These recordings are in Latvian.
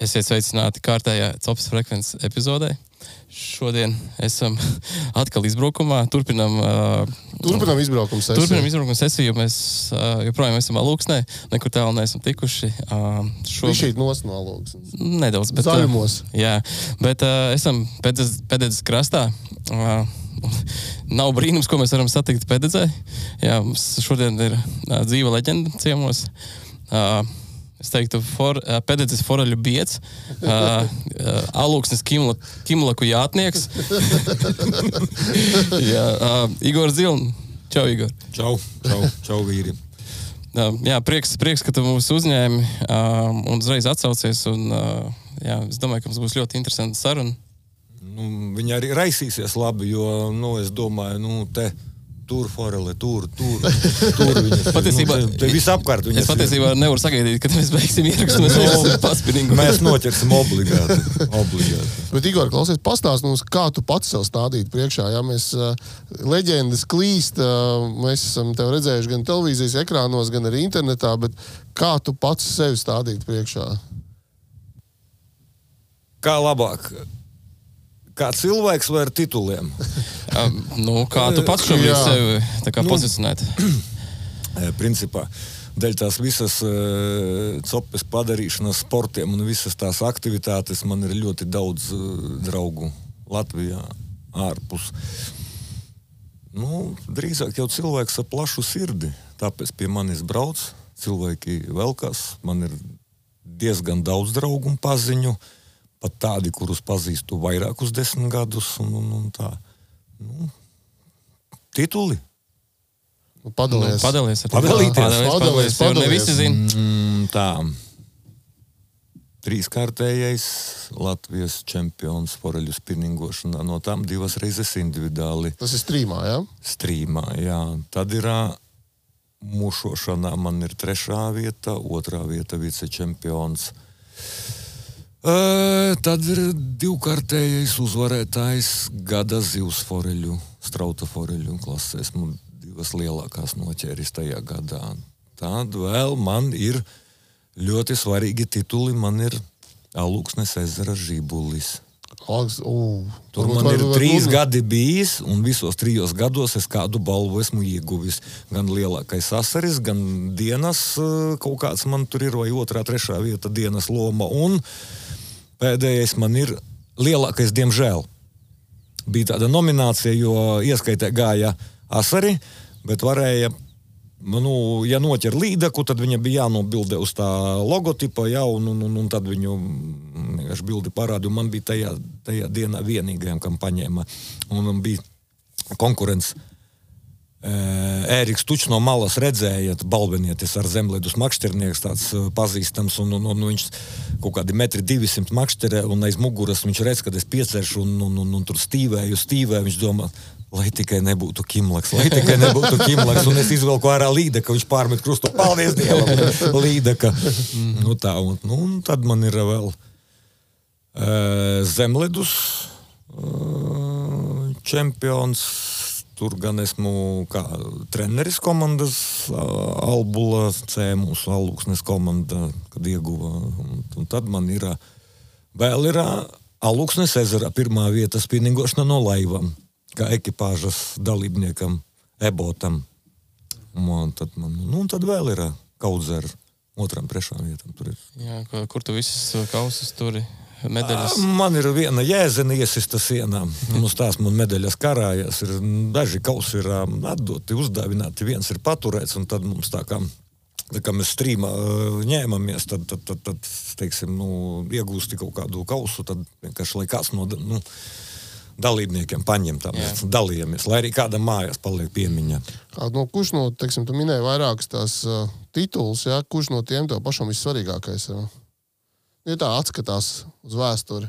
Esiet sveicināti kārtējā Copas frekvences epizodē. Šodien esam atkal izbraukumā. Turpinam izbraukuma sesiju. Turpinam izbraukuma sesiju, jo mēs joprojām esam Alūksnē. Nekur tālu neesam tikuši. Šeit nos no Alūksnes. Nedaudz. Bet, Zaļumos. Jā, bet esam Pededzes krastā. Nav brīnums, ko mēs varam satikt Pededzē. Jā, mums šodien ir dzīva leģenda ciemos. Es teiktu, Pededzes foraļu bieds, Alūksnes Kimlaku jātnieks. Jā, Igor Ziln. Čau, Igor. Čau, vīri. Jā, prieks, ka tu mūs uzņēmi un uzreiz atsaucies. Un, jā, es domāju, ka mums būs ļoti interesanta saruna. Viņi arī raisīsies labi, jo, es domāju, tur forele, tur viņas. Patiesībā, te visapkārt viņas. Es patiesībā nevaru sagaidīt, kad mēs beigsim ierakstu, mēs veiksim paspinīgu. Mēs noķersim obligāti. Bet, Igor, klausies, pastāst mums, kā tu pats sev stādīt priekšā. Ja mēs leģendas klīst, mēs esam tev redzējuši gan televīzijas ekrānos, gan arī internetā, bet kā tu pats sevi stādīt priekšā? Kā labāk? Kā cilvēks vai ar tituliem? Kā tu pats šobrīd sevi tā kā pozicionēt? Principā, dēļ tās visas copes padarīšanas sportiem un visas tās aktivitātes man ir ļoti daudz draugu Latvijā ārpus. Drīzāk jau cilvēks ar plašu sirdi, tāpēc pie manis brauc, cilvēki velkās, man ir diezgan daudz draugu un paziņu, pat tādi, kurus pazīstu vairākus 10 gadus un tā. Tituli. Padalies. Padalīties. Jo ne visi zina. Tā. 3-kārtējais Latvijas čempions foreļu spinningošanā. No tām 2 reizes individuāli. Tas ir strīmā, jā? Strīmā, jā. Tad ir mušošanā man ir 3. vieta, 2. vieta vicečempions. Tad ir 2-kārtējais uzvarētājs gada zivs foreļu, strauta foreļu klasē. Esmu 2 lielākās noķēris tajā gadā. Tad vēl man ir ļoti svarīgi tituli. Man ir Alūksnes ezera žibulis. Tur man ir 3 gadi bijis, un visos 3 gados es kādu balvu esmu ieguvis. Gan lielākais asaris, gan dienas kaut kāds man tur ir, vai 2., 3. vieta dienas loma. Un pēdējais man ir lielākais, diemžēl. Bija tāda nominācija, jo ieskaitē gāja asari, bet varēja, ja noķer līdaku, tad viņa bija jānobildē uz tā logotipa, un tad viņu vienkārši bildi parādi, un man bija tajā dienā vienīgajam, kam paņēma. Un bija konkurence. Ēriks Tučs no malas redzēja, balvenietis ar zemledus makšķernieks, tāds pazīstams, un viņš kaut kādi 1,200 makšķerē, un aiz muguras viņš redz, kad es pieceršu, un tur stīvēju, viņš domā, lai tikai nebūtu Kimlaks, un es izvelku ārā līdeka, viņš pārmet krustu, paldies Dievam, līdeka. Tā, un tad man ir vēl zemledus čempions. Tur gan esmu kā treneris komandas Albula C, mūsu Alūksnes komanda, kad ieguva. Un tad man ir vēl Alūksnes ezera 1. vieta spinningošana no laivam, kā ekipāžas dalībniekam, ebotam. Un tad vēl ir Kaudzera 2., 3. vietam. Tur ir. Jā, kur tu visas kausus turi? Medaļas? Man ir viena jēzena iesista sienā. Uz tās man medaļas karājās. Daži kausi ir atdoti, uzdāvināti, viens ir paturēts, un tad mums tā kā mēs strīmā ņēmamies, tad teiksim, iegūsti kaut kādu kausu, tad vienkārši, lai kāds no dalībniekiem paņem tā, mēs dalījamies, lai arī kādam mājās paliek piemiņā. Kurš teiksim, tu minēji vairākas tās tituls, jā, kurš no tiem tev pašam vissvarīgākais ir? Ja tā atskatās uz vēsturi.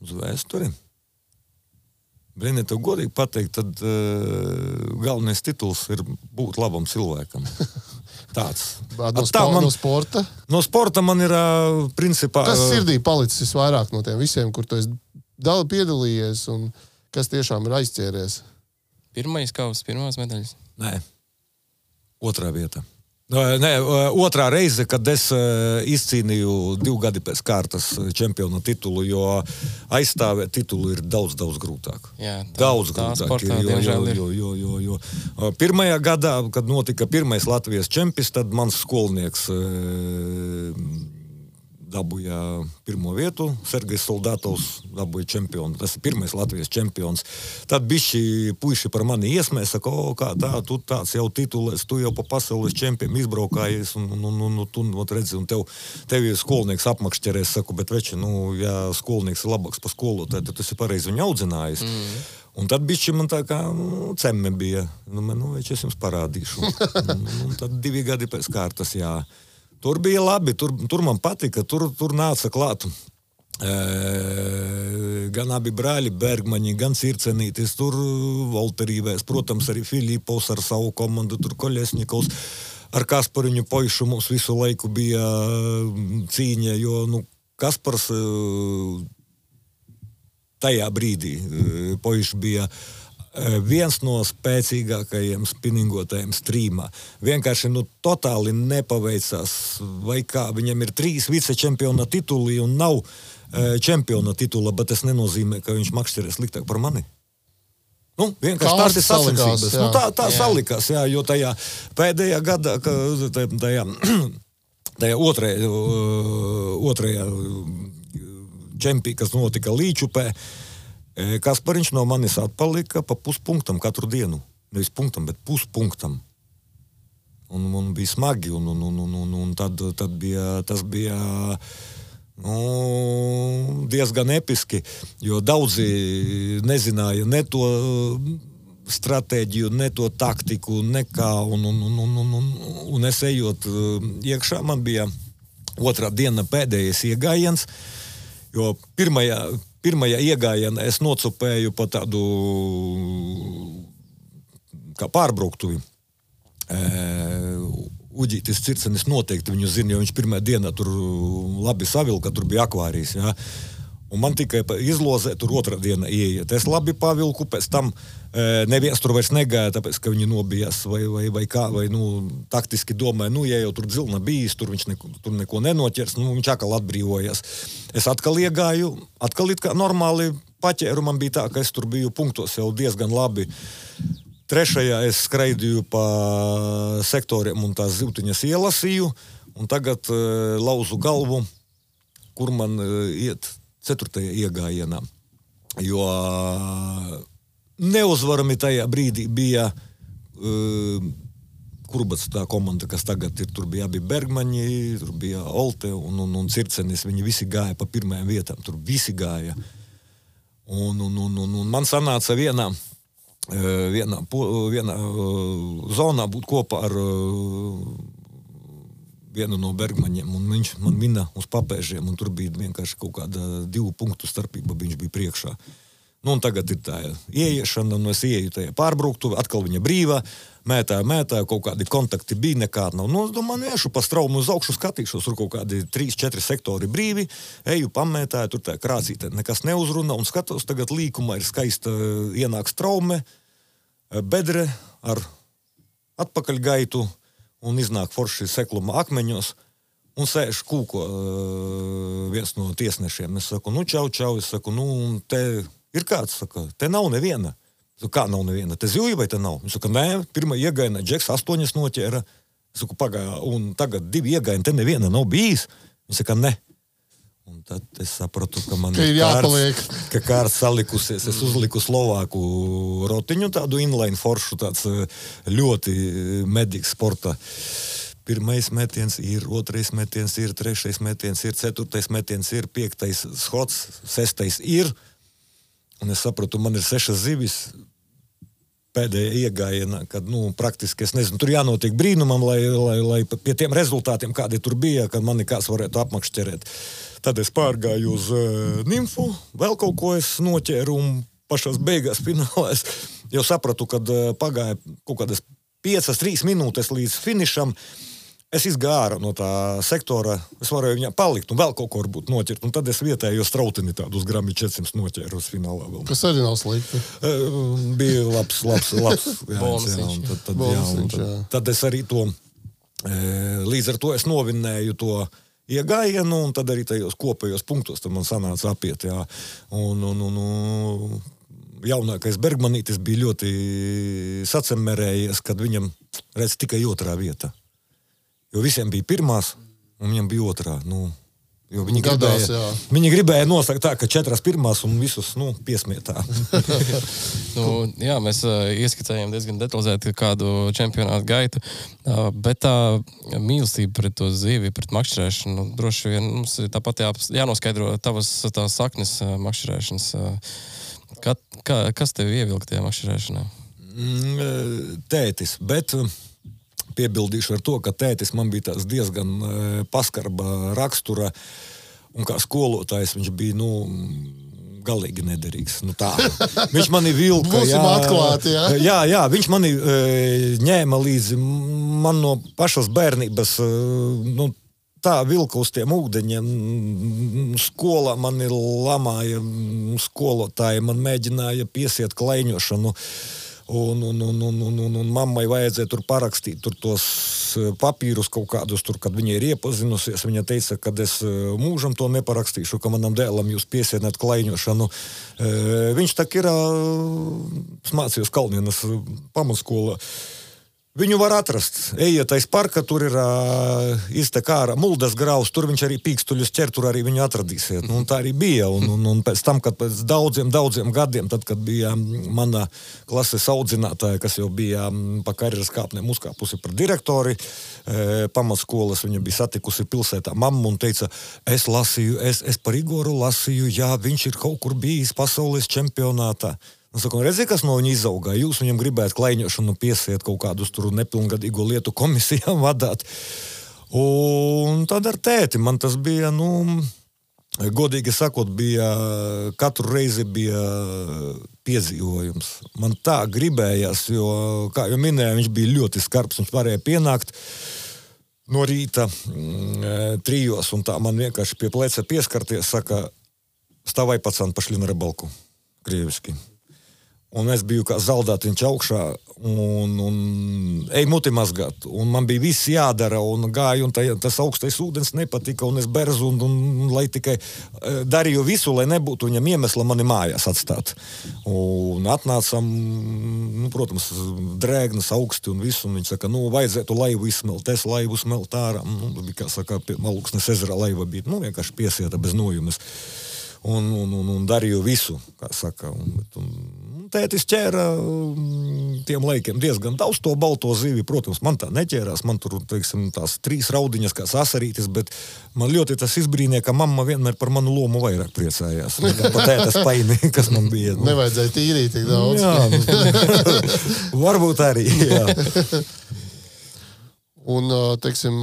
Uz vēsturi? Brīnē, tev godīgi pateikt, tad galvenais tituls ir būt labam cilvēkam. Tāds. No sporta? No sporta man ir principā... Kas sirdī palicis vairāk no tiem visiem, kur tu esi piedalījies un kas tiešām ir aizķēries? Pirmais kauss, pirmās medaļas? Nē. 2. vieta. Nē, otrā reize, kad es izcīnīju 2 gadi pēc kārtas čempiona titulu, jo aizstāvēt titulu ir daudz grūtāk. Jā, daudz grūtāk. Sportā, jo. Pirmajā gadā, kad notika pirmais Latvijas čempis, tad mans skolnieks dabūja pirmo vietu, Sergejs Soldatovs dabūja čempionu. Tas ir pirmais Latvijas čempions. Tad bišķi puiši par mani iesmē, saka, kā tā, tu tāds jau titulēs, tu jau pa pasaules čempionu izbraukājies, un tu redzi, un tev ir skolnieks apmakšķerēs, saku, bet veči, ja skolnieks ir labāks pa skolotāju, tad tas ir pareizi viņu audzinājis. Un tad bišķi man tā kā cemme bija. Veči, es jums parādīšu. Un tad 2 gadi pēc kārtas, jā. Tur bija labi, tur man patika, tur nāca klāt gan abi brāļi Bergmaņi, gan Circenītis, tur Volterīvēs, protams, arī Filipovs ar savu komandu, tur Koļesņikovs, ar Kaspariņu Poišu mums visu laiku bija cīņa, jo, Kaspars tajā brīdī Poišs bija viens no spēcīgākajiem spiningotājiem strīmā. Vienkārši, totāli nepaveicās, vai kā, viņam ir 3 vicečempiona tituli un nav čempiona titula, bet tas nenozīmē, ka viņš makšķerē sliktāk par mani. Vienkārši tās ir sacensības. Tā salikās, jā, jo tajā pēdējā gadā, tajā otrajā čempī, kas notika Līčupē, Kaspariņš no manis atpalika pa puspunktam katru dienu. Nevis punktam, bet puspunktam. Un bija smagi, un tad bija, tas bija diezgan episki, jo daudzi nezināja ne to stratēģiju, ne to taktiku, nekā, un es ejot iekšā, man bija otrā diena pēdējais iegājiens, jo pirmajā iegājienā es nocupēju pa tādu kā pārbrauktuvi. Uģītis Circenis noteikti viņu zina, jo viņš pirmajā dienā tur labi savilka, tur bija akvārijas, jā. Un man tikai izlozē tur otrā diena ieiet. Es labi pavilku, pēc tam neviens tur vairs negāja, tāpēc, ka viņi nobijās vai kā, vai, taktiski domāja, ja jau tur dzilna bijis, tur viņš tur neko nenoķers, viņš atkal atbrīvojas. Es atkal iegāju, atkal it kā normāli paķēru, man bija tā, ka es tur biju punktos jau diezgan labi. Trešajā es skraidīju pa sektoriem un tās zivtiņas ielasīju, un tagad lauzu galvu, kur man iet 4. iegājienā. Jo neuzvarami tajā brīdī bija Kurbats tā komanda, kas tagad ir, tur bija abi Bergmaņi, tur bija Olte un Circenis, viņi visi gāja pa pirmajām vietām, tur visi gāja. Un man sanāca vienā zonā būt kopā ar vienu no Bergmaņiem, un viņš man mina uz papēžiem, un tur bija vienkārši kaut kāda 2 punktu starpība, viņš bija priekšā. Un tagad ir tā ieiešana, un es ieju tajā pārbrauktuvi, atkal viņa brīvā, mētāju, kaut kādi kontakti bija, nekāda nav. Es domāju, iešu pa straumu uz augšu, skatīšos, tur kaut kādi 3-4 sektori brīvi, eju pamētāju, tur tā krācītē nekas neuzruna, un skatos, tagad līkumā ir skaista ienāk straume, bedre ar atpakaļgaitu, un iznāk forši sekluma akmeņos, un sēž kūko viens no tiesnešiem. Es saku, čau, es saku, te ir kāds, saka, te nav neviena. Es saku, kā nav neviena? Te zivji vai te nav? Viņš saka, nē, pirmā iegājienā Džeks 8 noķēra. Es saku, pagāja, un tagad 2 iegājieni, te neviena nav bijis. Viņš saka, ne. Un tad es sapratu, ka man ir kārts salikusies. Es uzliku Slovāku rotiņu, tādu inline foršu, tāds ļoti medīgs sporta. 1. metiens ir, 2. metiens ir, 3. metiens ir, 4. metiens ir, 5. schots, 6. ir. Un es sapratu, man ir 6 zivis pēdējā iegājienā, kad, praktiski, es nezinu, tur jānotiek brīnumam, lai pie tiem rezultātiem, kādi tur bija, kad mani kāds varētu apmakšķerēt. Tad es pārgāju uz nimfu, vēl kaut ko es noķēru, un pašās beigās finālā es jau sapratu, kad pagāja kaut kādas 5-3 minūtes līdz finišam. Es izgāju ārā no tā sektora, es varēju viņā palikt un vēl kaut ko varbūt noķert, un tad es vietējo strautini tādu uz grami 400 noķēru uz finālā vēl. Kas arī nav slikti. Bija labs. Bonsiņš. Tad es arī to Līdz ar to es novinnēju to iegājienu, un tad arī tajos kopējos punktos tad man sanāca apiet, jā. Un jaunākais Bergmanītis bija ļoti sacemērējies, kad viņam, redz, tikai otrā vieta. Jo visiem bija pirmās, un viņam bija otrā, jo viņi gribēja nosakt tā, ka 4 pirmās un visus, piesmietā. Jā, mēs ieskicējām diezgan detalizēti kādu čempionātu gaitu, bet tā mīlestība pret to zivi, pret makšķerēšanu, droši vien mums ir tāpat jānoskaidro tās saknes makšķerēšanas. Kas tevi ievilka tajā makšķerēšanā? Tētis, bet piebildīšu ar to, ka tētis man bija tās diezgan paskarba rakstura, un kā skolotājs viņš bija, galīgi nederīgs. Tā. Viņš mani vilka. Būsim atklāti, jā? Jā, viņš mani ņēma līdzi man no pašas bērnības, tā vilka uz tiem ūdeņiem. Skolā mani lamāja, skolotāji man mēģināja piesiet klaiņošanu. Un mammai vajadzēja tur parakstīt tos papīrus kaut kādus, kad viņa ir iepazinusies. Viņa teica, ka es mūžam to neparakstīšu, ka manam dēlam jūs piesienat klaiņošanu. Viņš tak ir mācījos Kalnienas pamatskolā. Viņu var atrast. Ejiet aiz parka, tur ir iztek ārā Muldas graus, tur viņš arī pīkstuļus ķer, tur arī viņu atradīsiet. Tā arī bija. Un pēc tam, kad pēc daudziem gadiem, tad, kad bija mana klases audzinātāja, kas jau bija pa karjeras kāpnēm uzkāpusi par direktori pamatskolas, viņa bija satikusi pilsētā mammu un teica, es lasīju, es par Igoru lasīju, jā, viņš ir kaut kur bijis pasaules čempionātā. Un saku, redzi, kas no viņa izaugā? Jūs viņam gribētu klaiņošanu piesiet kaut kādus tur nepilngadīgo lietu komisijām vadāt. Un tad ar tēti man tas bija, godīgi sakot, katru reizi bija piedzīvojums. Man tā gribējās, jo, kā jau minēju, viņš bija ļoti skarbs, viņš varēja pienākt no rīta 3, un tā man vienkārši pie pleca pieskarties, saka, stāvai pacan, pašli na rыбалку, krieviski. Un es biju kā zaldātiņš augšā un ej muti mazgāt. Un man bija viss jādara un gāju, un tas augstais ūdens nepatika, un es berzu, un lai tikai darīju visu, lai nebūtu viņam iemesla mani mājās atstāt. Un atnācam, protams, drēgnas augsti un visu, un viņš saka, vajadzētu laivu izsmelt, es laivu smelt ārā. Bija, kā saka, Malūksnes ezera laiva bija, vienkārši piesieta bez nojumes. Un darīju visu, kā saka. Un tētis ķēra tiem laikiem diezgan daudz to balto zivi. Protams, man tā neķērās. Man tur, teiksim, tās 3 raudiņas kā sasarītis, bet man ļoti tas izbrīnīja, ka mamma vienmēr par manu lomu vairāk priecājās. Pa tētas paini, kas man bija. Nevajadzēja tīrīt tik daudz. Jā, varbūt arī, jā. Un, teiksim,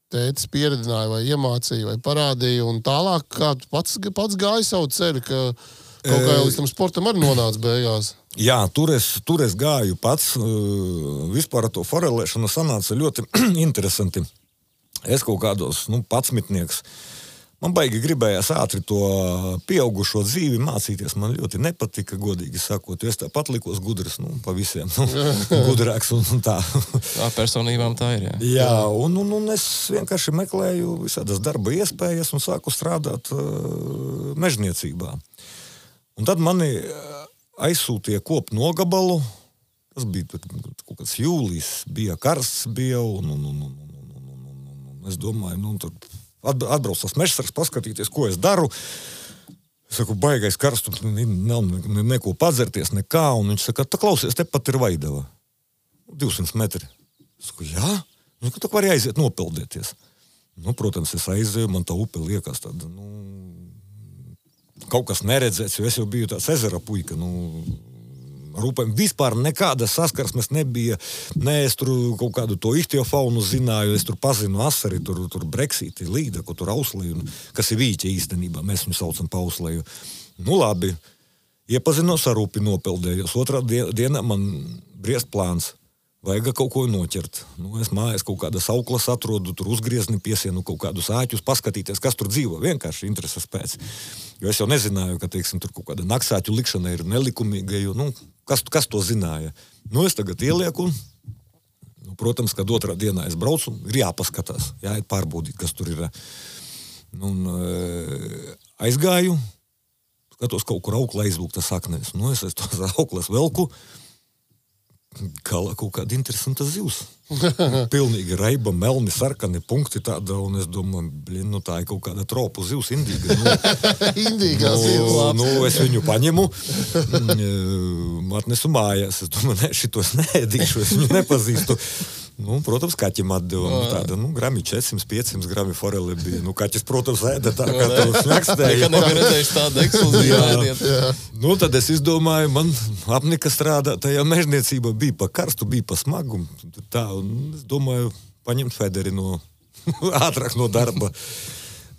tētis pieredzināja vai iemācīja vai parādīja, un tālāk kā tu pats gāji savu ceļu, ka kaut kā līdz tam sportam arī nonāca beigās. Jā, tur es gāju pats. Vispār ar to forelēšanu sanāca ļoti interesanti. Es kaut kādos, 11. Man baigi gribējās ātri to pieaugušo dzīvi mācīties. Man ļoti nepatika, godīgi sakot, jo es tāpat likos gudrs, pa visiem, gudrāks un tā. Tā personībām tā ir, jā. Jā, un es vienkārši meklēju visādas darba iespējas un sāku strādāt mežniecībā. Un tad mani aizsūtīja kopu nogabalu. Tas bija kaut kāds jūlijs, bija karsts, un es domāju, tur atbrauc tas mežsargs, paskatīties, ko es daru. Es saku, baigais karstums, nav neko padzerties, nekā. Un viņš saka, klausies, tepat ir Vaidava. 200 metri. Es saku, jā? Viņš saka, tā var aiziet nopeldēties. Protams, es aizēju, man tā upe liekas tāda, kaut kas neredzēts, jo es jau biju tāds ezera puika, ar upēm vispār nekāda saskarsmes nebija, es tur kaut kādu to ihtiofaunu zināju, es tur pazinu asari, tur breksīti, līda, ko tur auslēju, kas ir vīķa īstenībā, mēs viņu saucam pa auslēju. Labi, iepazinos ar upi, nopeldējos, otrā dienā man briest plāns. Vajag kaut ko noķert. Es mājās kaut kādas auklas atrodu, tur uzgriezni piesienu kaut kādus āķus, paskatīties, kas tur dzīvo. Vienkārši intereses pēc. Jo es jau nezināju, ka, teiksim, tur kaut kāda naksāķu likšana ir nelikumīga, jo, kas to zināja. Es tagad ielieku, protams, kad otrā dienā es braucu, ir jāpaskatās, jāiet pārbaudīt, kas tur ir. Un aizgāju, skatos kaut kur auklā izlūkta saknēs. Es tos auklas velku, kaut kāda interesanta zivs. Pilnīgi raiba, melni, sarkani punkti tāda, un es domāju, tā ir kaut kāda tropu zivs, indīga. Indīgā zivs. Es viņu paņemu, atnesu mājās. Es domāju, šitos neēdīšu, es viņu nepazīstu. Protams, kaķim atdeva tāda, grami 400-500 grami foreli bija. Kaķis, protams, ēda tā, kā to snakstēja. Nekad nebija redzējuši tādu ekskluzīvu ēdienu. Tad es izdomāju, man apnika strādā, tajā mežniecība bija pa karstu, bija pa smagu. Tā, un es domāju, paņemt Federi ātrāk no darba.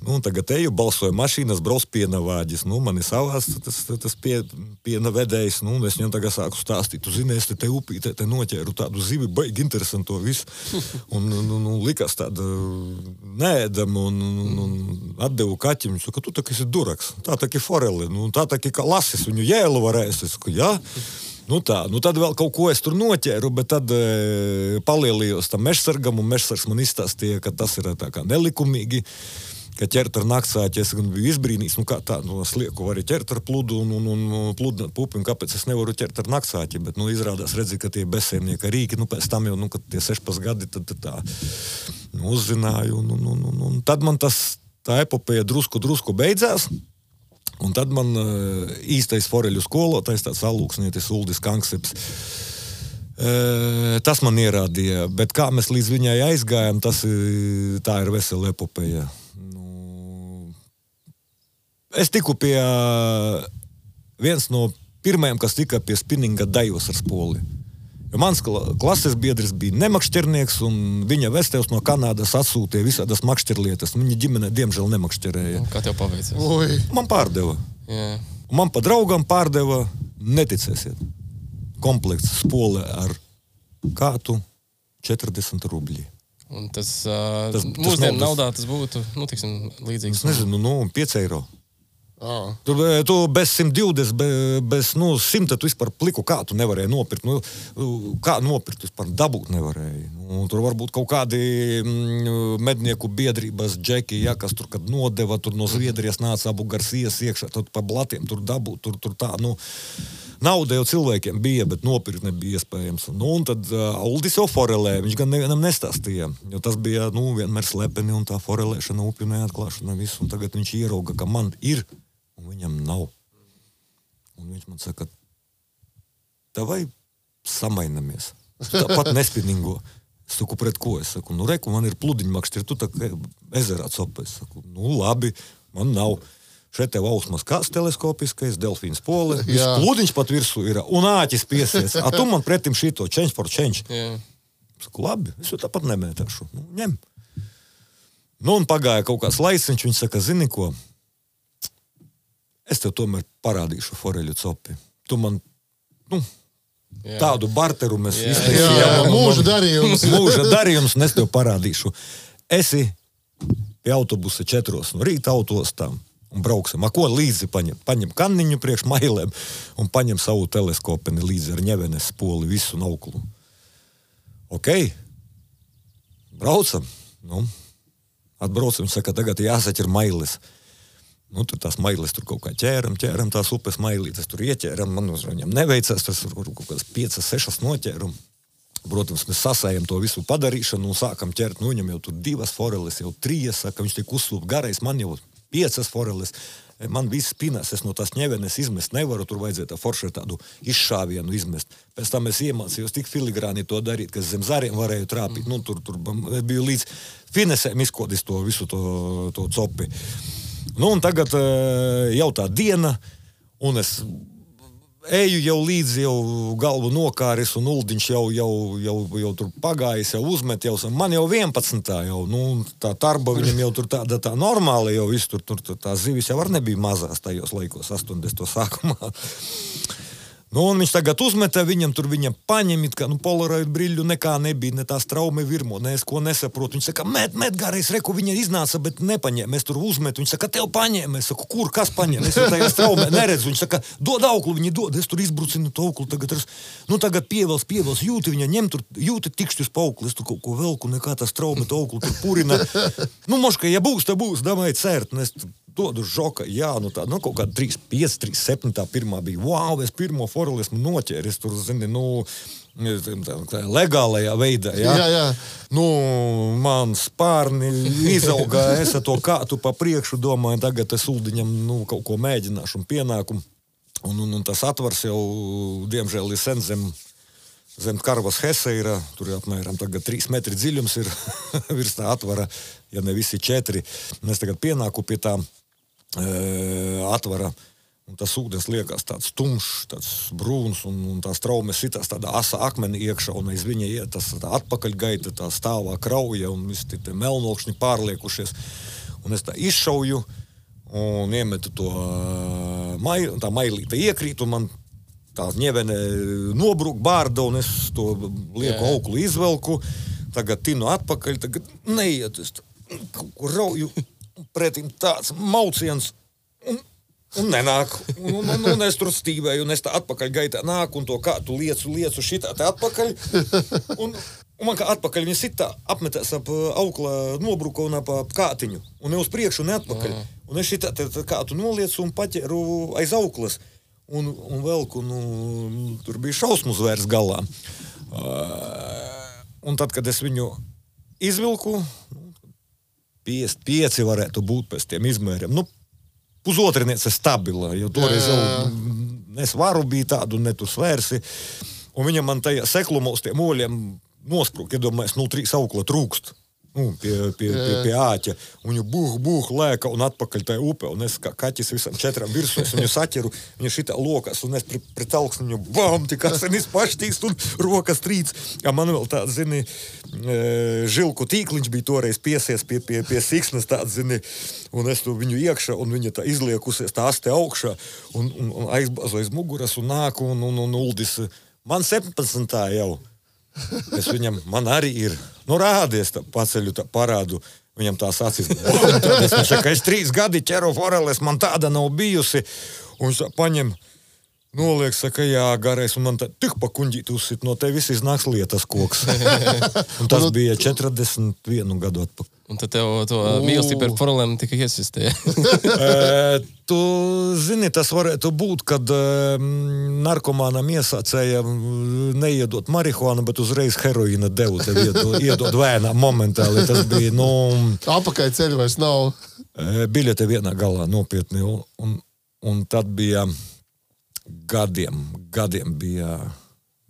Tagad eju, balsoju mašīnas, brauc piena vāģis. Man ir savās tas piena vedējs. Es viņam tagad sāku stāstīt. Tu zini, es te upītē noķēru tādu zivi, baigi interesanto visu. Un likās tāda neēdama un atdevu kaķim. Viņš saka, tu tā, esi duraks. Tā tā kā foreli. Tā tā kā lasis. Viņu jēlu varēs. Es saku, jā. Tad vēl kaut ko es tur noķēru, bet tad palielījos tam mežsargam, un mežsargs man izstāstīja, ka tas ir tā kā nelikumīgi. Ka ķert ar naktsāķi, es biju izbrīnījis, kā tā, slieku var ķert ar pludu un pludināt pupi, un kāpēc es nevaru ķert ar naktsāķi, bet, izrādās redzi, ka tie bezsēmnieka rīki, pēc tam jau, kad tie 16 gadi, tad tā, uzzināju, un tad man tā epopeja drusku beidzās, un tad man īstais foreļu skolotais, tāds alūksnietis Uldis Kankseps, tas man ierādīja, bet kā mēs līdz viņai aizgājām, tā ir vesela epopeja. Es tiku pie viens no pirmajiem, kas tika pie spinninga dajos ar spoli. Jo mans klases biedris bija nemakšķernieks, un viņa vestevs no Kanādas atsūtīja visādas makšķerlietas. Viņa ģimene, diemžēl, nemakšķerēja. Kā tev paveicās? Man pārdeva. Yeah. Un man pa draugam pārdeva, neticēsiet, komplekts spole ar kātu 40 rubļi. Un tas mūsdienu naudā tas būtu, līdzīgs. Es nezinu, 5 eiro. Tu bez 120, bez 100 tu vispār pliku kātu nevarēji nopirkt. Kā nopirkt, vispār dabūt nevarēji. Tur varbūt kaut kādi mednieku biedrības džeki, kas tur, kad nodeva, tur no Zviedrijas nāca Abu Garcijas iekšā, tad pa blatiem tur dabūt, tur tā, nauda jau cilvēkiem bija, bet nopirkt nebija iespējams. Un tad Uldis jau forelē, viņš gan nevienam nestāstīja, jo tas bija, vienmēr slepeni un tā forelēšana, upju neatklāšana, visu. Un tagad viņš ierauga, ka man ir, un viņam nav. Un viņš man saka, davai samainamies. Tāpat nespinningo. Es saku, pret ko? Es saku, reku, man ir pludiņmakšķi, tu tā kā ezerā copa. Es saku, labi, man nav. Šeit tev ausmas kāds teleskopiskais, delfīns pole, viss pludiņš pat virsū ir, un āķis piesies. A tu man pretim šito, change for change. Yeah. Saku, labi, es jau tāpat nemētāšu. Ņem. Un pagāja kaut kāds laiciņš, viņš saka, zini ko, es tev tomēr parādīšu foreļu copi. Tu man, tādu barteru mēs izteicījām. Mūža darījums. Mūža darījums, un es tev parādīšu. Esi pie autobusa 4 no rīta autostām. Un brauksim. Ko līdzi paņem? Paņem kanniņu priekš mailēm un paņem savu teleskopeni līdzi ar ņevenes spoli, visu nauklu. Ok. Braucam. Atbraucam, saka, tagad jāsaķer mailes. Tur tās mailes tur kaut kā ķēram tās upes mailītes, tur ieķēram, man viņam neveicās, tas tur kaut kādas 5-6 noķēram. Protams, mēs sasējam to visu padarīšanu un sākam ķert, viņam jau tur 2 foreles, jau 3, saka, viņš tik uzslūp garais, man jau 5 foreles, man viss spinās, es no tās ņevenes izmest nevaru, tur vajadzēja tā forši tādu izšāvienu izmest. Pēc tam es iemācījos tik filigrāni to darīt, ka zem zariem varēju trāpīt, tur biju līdz finesēm izkodis to visu to copi. Un tagad jau tā diena, un es eju jau līdzi, jau galvu nokāris, un Uldiņš jau tur pagājis, jau uzmet, man jau 11. jau, tā tarba viņam jau tur tā normāli jau visu, tur tā zivis jau var nebija mazās tajos laikos, 80. sākumā. Nu, un viņš tagad uzmeta viņam, tur viņam paņem, it kā, polaroid brīļu nekā nebija, ne tā straume virmo, ne es ko nesaprotu. Viņš saka, met garais, reku, viņa iznāca, bet nepaņēma. Es tur uzmetu, viņš saka, tev paņēma. Es saku, kur, kas paņēma? Es tajā straumē neredzu. Viņš saka, dod auklu, viņi dod. Es tur izbrucinu to auklu, tagad pievels, jūti viņa ņem, tur jūti tikšķus pa auklu. Es tur kaut ko velku, nekā tā straume to auklu tur purina. Moška, ja būs, tā būs, damai cērt. Un es dodu žoka, jā, kaut kāda 3,5, 3,7 tā pirmā bija. Wow, es pirmo foreli esmu noķēris, tur, zini, tā legālajā veidā, jā. Jā. Man spārni izauga, es ar to kātu pa priekšu domāju, tagad es uldiņam, kaut ko mēģināšu un pienākumu. Un tas atvars jau, diemžēl, ir sen zem Karvas Hese ir, tur apmēram tagad 3 metri dziļums ir virs tā atvara, ja ne visi 4. Un es tagad pienāku pie tā atvara, un tas ūdens liekas tāds tumšs, tāds brūns, un tā straume sitās tādā asa akmeni iekšā, un aiz viņa iet tas atpakaļgaita, tā stāvā krauja, un visi tie melnokšņi pārliekušies. Un es tā izšauju, un iemetu to tā mailīte iekrīt, un man tā ņevene nobrūk bārda, un es to lieku auklu izvelku, tagad tinu atpakaļ, tagad neiet, es kaut ko rauju, pretim tāds mauciens, un nenāk, un es tur stīvēju, un es tā atpakaļ gaitā nāku, un to kātu liecu šitā te atpakaļ, un man kā atpakaļ viņa sitā apmetās ap aukla nobruka un ap kātiņu, un ne uz priekšu, ne atpakaļ, un es šitā te kātu noliecu un paķeru aiz auklas, un velku, tur bija šausmu zvērs galā. Un tad, kad es viņu izvilku, 55 varētu būt pēc tiem izmēriem. Pusotriniece stabila, jo toreiz jau es varu bija tādu, ne tu svērsi. Un viņam man tajā seklumos tiem oļiem nosprūk, iedomājies, 3 aukla trūkst. Pie āķa. Un viņu buh, lēka un atpakaļ tajā upē. Un es kā kaķis visam 4 virsū, es viņu saķeru, viņu šitā lokas, un es pret augstu viņu bam, tik asinis paštīst un rokas trīc. Ja man vēl tāds, zini, žilku tīkliņš bija toreiz piesies pie siksnas tāds, zini, un es to viņu iekšā, un viņa tā izliekusies, tā aste augšā, un aizbāzu aiz muguras, un nāku, un uldis. Man 17. jau. Es viņam, man arī ir, rādies, tā paceļu, tā parādu, viņam tās acis, es saka, es 3 gadi ķeru foreles, man tāda nav bijusi, un viņš paņem, noliek, saka, jā, garais, un man tā tik pa kuņģīt uzsit, no te viss iznāks lietas koks. Un tas bija 41 gadu atpakaļ. Un tad tev to mīlestību par forelēm tika iesistē. Tu zini, tas varētu būt, kad narkomānam iesācēja neiedot marihuānu, bet uzreiz heroīna devu, tev iedot vēnā momentāli. Tas bija, Apakaļ ceļu vairs nav. Biļete vienā galā nopietni, un tad bija gadiem bija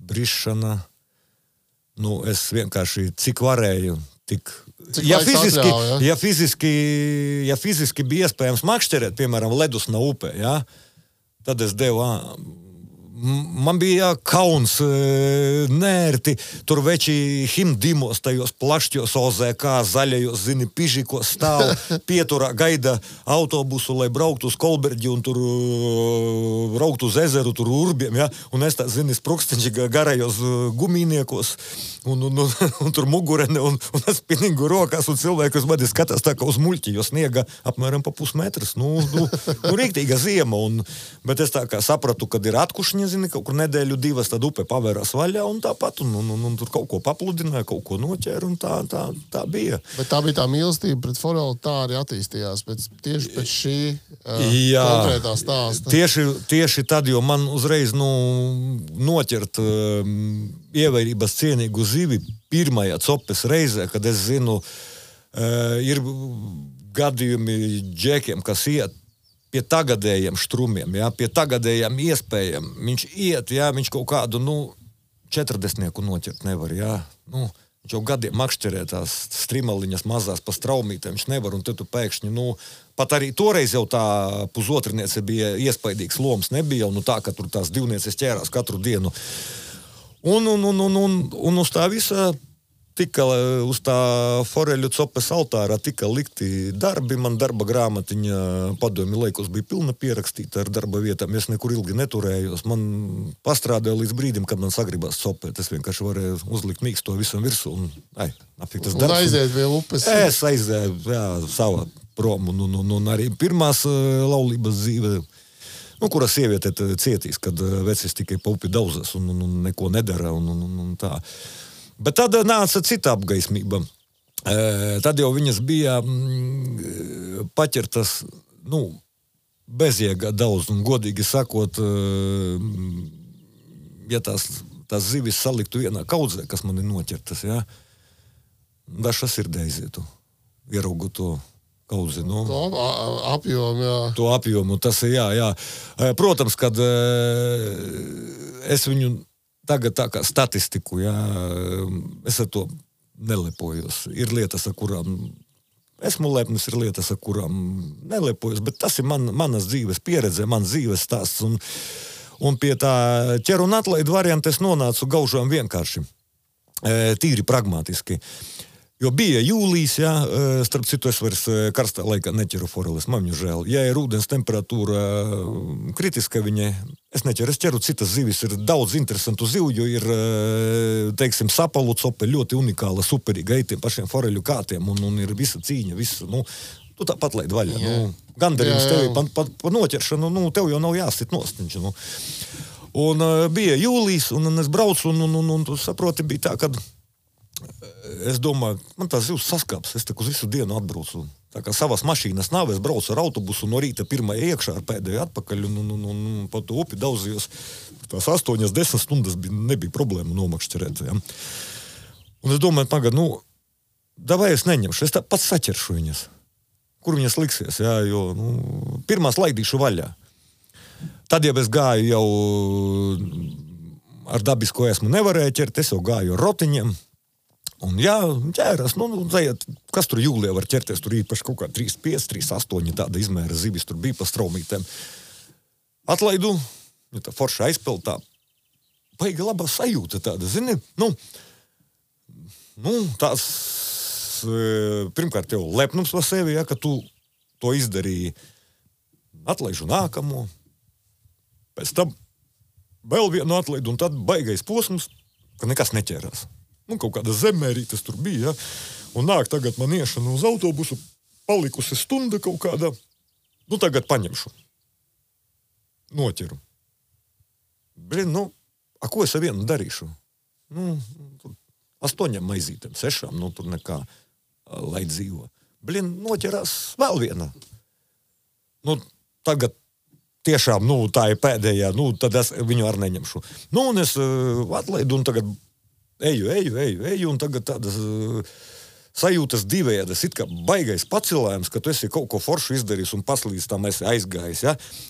brišana. Es vienkārši, cik varēju, tik... Ja fiziski bija iespējams makšķerēt, piemēram, ledus na upē, ja, tad es devu, man bija kauns, nērti, tur veči himdimos, tajos plašķos OZK, zaļajos, zini, pižikos stāv, pieturā gaida autobusu, lai brauktu uz Kolberģi un tur brauktu uz ezeru, tur urbiem, ja, un es tā, zini, sprukstiņši garajos gumīniekos, un tur mugurene, un spinningu rokās, un cilvēki uz mani skatās tā kā uz muļķi, jo sniega apmēram pa pusmetras, rīktīga ziema, bet es tā kā sapratu, kad ir atkušņi, zini, kaut kur nedēļu 2, tad upe pavērās vaļā, un tāpat, un tur kaut ko papludināja, kaut ko noķēra, un tā bija. Bet tā bija tā mīlestība pret foreli, tā arī attīstījās, tieši pēc šī konkrētā stāsta. Tieši tad, jo man uzreiz, noķert ievērības cienīgu zivi pirmajā copes reizē, kad es zinu, ir gadījumi džekiem, kas iet pie tagadējiem štrumiem, ja, pie tagadējiem iespējām. Viņš iet, ja, viņš kaut kādu, 40 noķert nevar, ja. Viņš jau gadiem makšķerē tās strimaliņas mazās pa straumītēm, viņš nevar, un tad tu pēkšņi, pat arī toreiz jau tā pusotriniece bija iespaidīgs loms, nebija jau, tā, ka tur tās divnieces ķērās katru dienu. Un uz tā visa tika uz tā foreļu copes altāra tika likti darbi, man darba grāmatiņa padomi laikos bija pilna pierakstīta ar darba vietām, es nekur ilgi neturējos, man pastrādāja līdz brīdim, kad man sagribās copēt, es vienkārši varēju uzlikt mīksto visam virsū un, apik tas darbs. Un aiziet pie upes. Es aizēju, savā prom, un arī pirmās laulības dzīve, kura sieviete cietīs, kad vecis tikai pa upi daudzas un neko nedara un tā. Bet tad nāca cita apgaismība. Tad jau viņas bija paķertas, bezjēgā daudz, un godīgi sakot, ja tās zivis saliktu vienā kaudzē, kas man ir noķertas, daža sirdē aizietu, ieraugu to kaudzi, To apjomu, jā. To apjomu, tas ir, jā. Protams, kad es viņu tagad tā kā statistiku, es ar to nelepojos. Ir lietas, ar kurām esmu lepnis, ir lietas, ar kurām nelepojos, bet tas ir manas dzīves pieredze, mans dzīves stāsts. Un pie tā ķer un atlaidu varianta es nonācu gaužām vienkārši, tīri pragmatiski. Jo bija jūlijs, starp citu es vairs karstā laikā neķeru foreles, man viņu žēl. Ja ir ūdens temperatūra kritiska viņai, es neķeru, es ķeru citas zivis, ir daudz interesantu zivju, ir, teiksim, sapalu cope, ļoti unikāla, superīga, tiem pašiem foreļu kātiem, un ir visa cīņa, visu, tu tāpat laid vaļā, gandarījums tevi pa noķeršanu, tev jau nav jāsit nostiņš, Un bija jūlijs, un es braucu, un tu saproti, bija tā, kad es domāju, man tās zivs saskāps, es uz visu dienu atbraucu. Tā kā savas mašīnas nav, es braucu ar autobusu no rīta pirmajā iekšā ar pēdējo atpakaļ un pa to upi daudzījos. Tās 8-10 stundas nebija problēma nomakšķerēt. Un es domāju, tagad, davai es neņemšu, es tā pats saķeršu viņas. Kur viņas liksies, jo pirmās laidīšu vaļā. Tad jau es gāju jau ar dabisko esmu nevarēju ķert, es jau gāju ar rotiņiem. Un ķēras, kas tur jūlijā var ķerties, tur īpaši kaut kā 3,5, 3,8 tāda izmēra zivis, tur bija pa straumītēm. Atlaidu, tā forša aizpeltā, baigi labā sajūta tāda, zini, tās, pirmkārt jau lepnums par sevi, ka tu to izdarīji, atlaižu nākamo, pēc tam vēl vienu atlaidu, un tad baigais posms, ka nekas neķērās. Kaut kāda zemērītas tur bija, un nāk tagad man iešana uz autobusu, palikusi stunda kaut kāda, tagad paņemšu. Noķeru. Ko es ar vienu darīšu? 8 maizītēm, 6, tur nekā, lai dzīvo. Noķerās vēl viena. Tagad tiešām, tā ir pēdējā, tad es viņu ar neņemšu. Un es atlaidu, un tagad eju, un tagad tādas sajūtas divējādas, it kā baigais pacilājums, ka tu esi kaut ko foršu izdarījis un paslīdz tam esi aizgājis,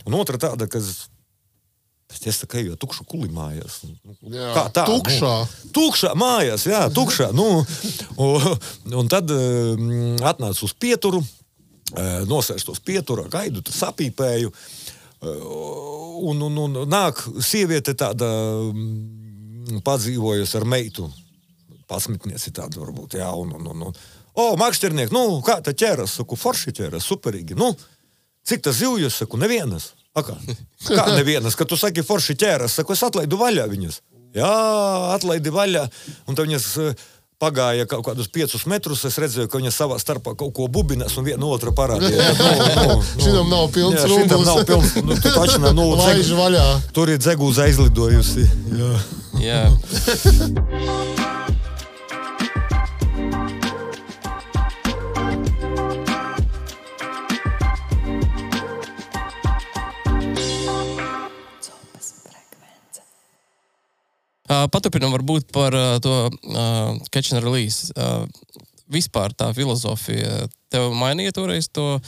Un otra tāda, ka es tā kā eju tukšu kuli mājās. Kā tā? Tukšā. Tukšā mājās, tukšā. Un tad atnācu uz pieturu, nosēžu tos pieturā, gaidu, tad sapīpēju, un nāk sieviete tāda padzīvojusi ar meitu, pasmitnieci tāda varbūt, makšķernieki, kā tā ķēras, saku, forši ķēras, superīgi, cik tas zivjus, saku, nevienas, kā nevienas, kad tu saki forši ķēras, saku, es atlaidu vaļā viņas, atlaidi vaļā, un tad viņas pagāja kaut kādus 5 metrus, es redzēju, ka viņas savā starpā kaut ko bubinās un viena otra parādīja. Šitam nav pilns rūbus. Šitam nav pilns, laiž vaļā. Tur ir dzegūza aizlidojusi. Jā. Paturpinam varbūt par to catch and release. Vispār tā filozofija tev mainīja toreiz to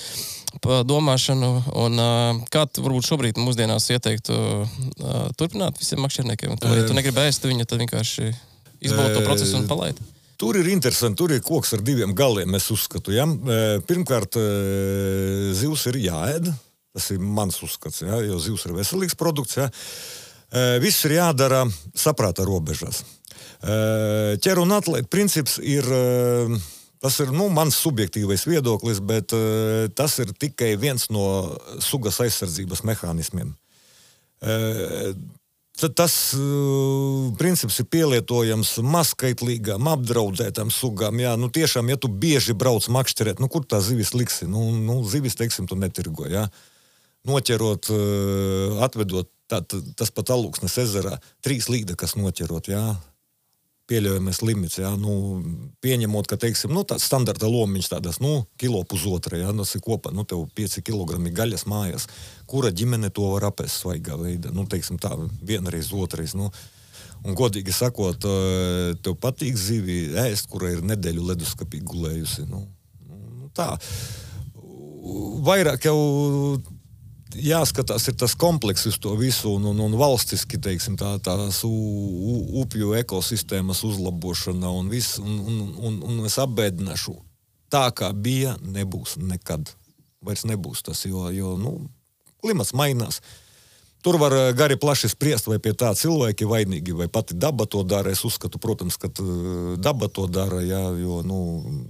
domāšanu, un kā tu varbūt šobrīd mūsdienās ieteiktu turpināt visiem makšķerniekiem? Ja tu negribi ēst viņu, tad vienkārši izbaudi to procesu un palaidi. Tur ir interesanti, tur ir koks ar 2 galiem, es uzskatu. Pirmkārt, zivs ir jāēd, tas ir mans uzskats, jo zivs ir veselīgs produkts, Viss ir jādara saprāta robežās. Ķer un atlēt princips ir, tas ir, mans subjektīvais viedoklis, bet tas ir tikai viens no sugas aizsardzības mehānismiem. Tas princips ir pielietojams mazskaitlīgām, apdraudētām sugām. Jā, tiešām, ja tu bieži brauc makšķerēt, kur tā zivis liksi? Zivis, teiksim, tu netirgo, jā. Noķerot, atvedot, tas pat Alūksnes ezerā, 3 līdekas noķerot, jā. Pieļaujamais limits, jā, pieņemot, ka, teiksim, tāds standarta lomiņš tādas, 1,5 kilo, jā, tas ir kopā, tev 5 kilogrami gaļas mājās, kura ģimene to var apēst svaigā veidā, teiksim tā, vienreiz, otrais, un godīgi sakot, tev patīk zivi ēst, kura ir nedēļu leduskapī gulējusi, tā. Vairāk jau jāskatās ir tas kompleks uz to visu un valstiski, teiksim, tās upju ekosistēmas uzlabošana un viss, un es apbēdināšu, tā kā bija, nebūs nekad. Vairs nebūs tas, jo klimats mainās. Tur var gari plaši spriest, vai pie tā cilvēki vainīgi, vai pati daba to dara. Es uzskatu, protams, ka daba to dara, jā, jo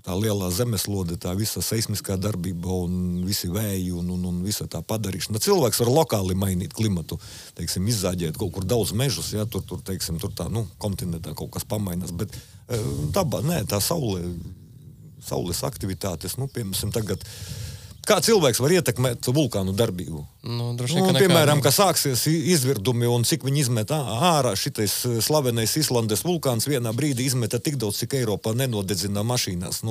tā lielā zemeslode, tā visa seismiskā darbība un visi vēji un visa tā padarīšana. Cilvēks var lokāli mainīt klimatu, teiksim, izzāģēt kaut kur daudz mežus, jā, tur teiksim, tur tā, kontinentā kaut kas pamainās, bet daba, nē, tā saules aktivitātes, piemēram, tagad. Kā cilvēks var ietekmēt vulkānu darbību? Piemēram, ka sāksies izvirdumi un cik viņi izmet ārā šitais slavenais Islandes vulkāns vienā brīdī izmeta tik daudz, cik Eiropā nenodedzinā mašīnās,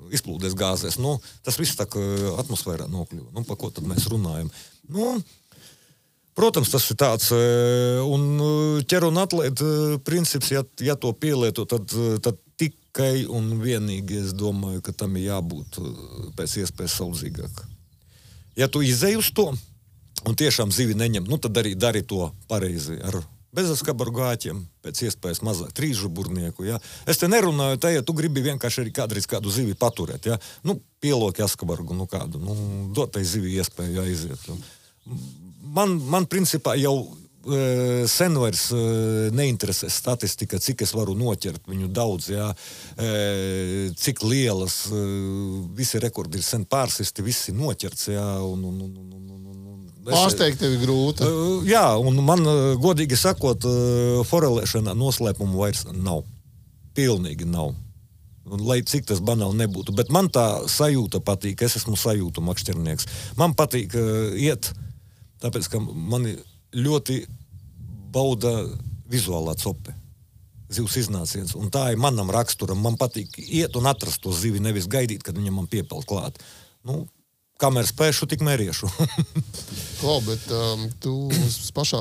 izplūdes gāzēs. Tas viss tā atmosfērā nokļuva. Par ko tad mēs runājam? Protams, tas ir tāds, un ķer un atlēt princips, ja to pielieto, tad tikai un vienīgi es domāju, ka tam ir jābūt pēc iespējas saudzīgāk. Ja tu izej uz to un tiešām zivi neņem, tad arī dari to pareizi ar bezaskabaru gāķiem, pēc iespējas mazāk trīsžuburnieku. Ja? Es te nerunāju, ja tu gribi vienkārši arī kādreiz kādu zivi paturēt. Ja? Pieloki askabargu, kādu, dot tai zivi iespēju aiziet. Man principā jau sen vairs neinteresē statistika, cik es varu noķert viņu daudz, jā, cik lielas, visi rekordi ir sen pārsisti, visi noķerts, jā, Pārsteigt tevi grūti. Jā, un man, godīgi sakot, forelēšanā noslēpumu vairs nav. Pilnīgi nav. Lai cik tas banāli nebūtu, bet man tā sajūta patīk, es esmu sajūtu makšķernieks. Man patīk iet, tāpēc, ka mani ļoti bauda vizuālā cope, zivs iznāciens, un tā ir manam raksturam. Man patīk iet un atrast to zivi, nevis gaidīt, kad viņam man piepeld klāt. Kamēr spēšu, tik mēriešu. Klau, bet tu pašā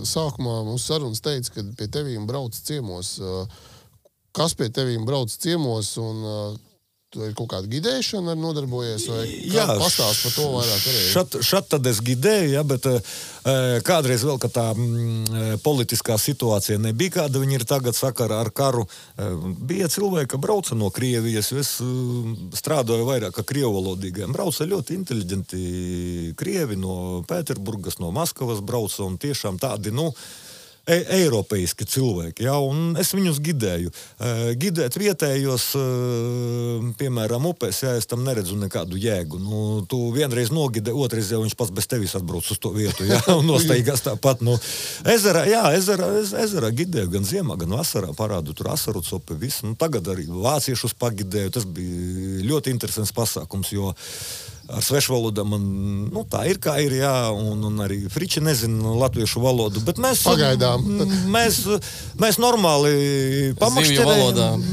sākumā mūsu sarunas teici, ka pie tevīm brauc ciemos. Kas pie tevīm brauc ciemos un tu ir kaut kāda gidēšana ar nodarbojies, vai pastāst par to vairāk arī? Šat tad es gidēju, ja, bet kādreiz vēl, ka tā politiskā situācija nebija, kāda viņi ir tagad sakarā ar karu. Bija cilvēki, ka brauca no Krievijas, jo es strādāju vairāk ar krievalodīgiem. Brauca ļoti inteliģenti krievi no Pēterburgas, no Maskavas brauca, un tiešām tādi, eiropeiski cilvēki, jā, un es viņus gidēju. Gidēt vietējos, piemēram, upēs, jā, es tam neredzu nekādu jēgu. Tu vienreiz nogidē, otrais jau viņš pats bez tevis atbrauc uz to vietu, jā, un nosteigās tāpat. Ezerā gidēju gan ziemā, gan vasarā, parādu tur asaru copi, visu. Tagad arī vāciešus pagidēju, tas bija ļoti interesants pasākums, jo ar svešvalodā man, tā ir kā ir, jā, un arī friči nezina latviešu valodu, bet mēs pagaidām. Mēs normāli pamakšķerējam.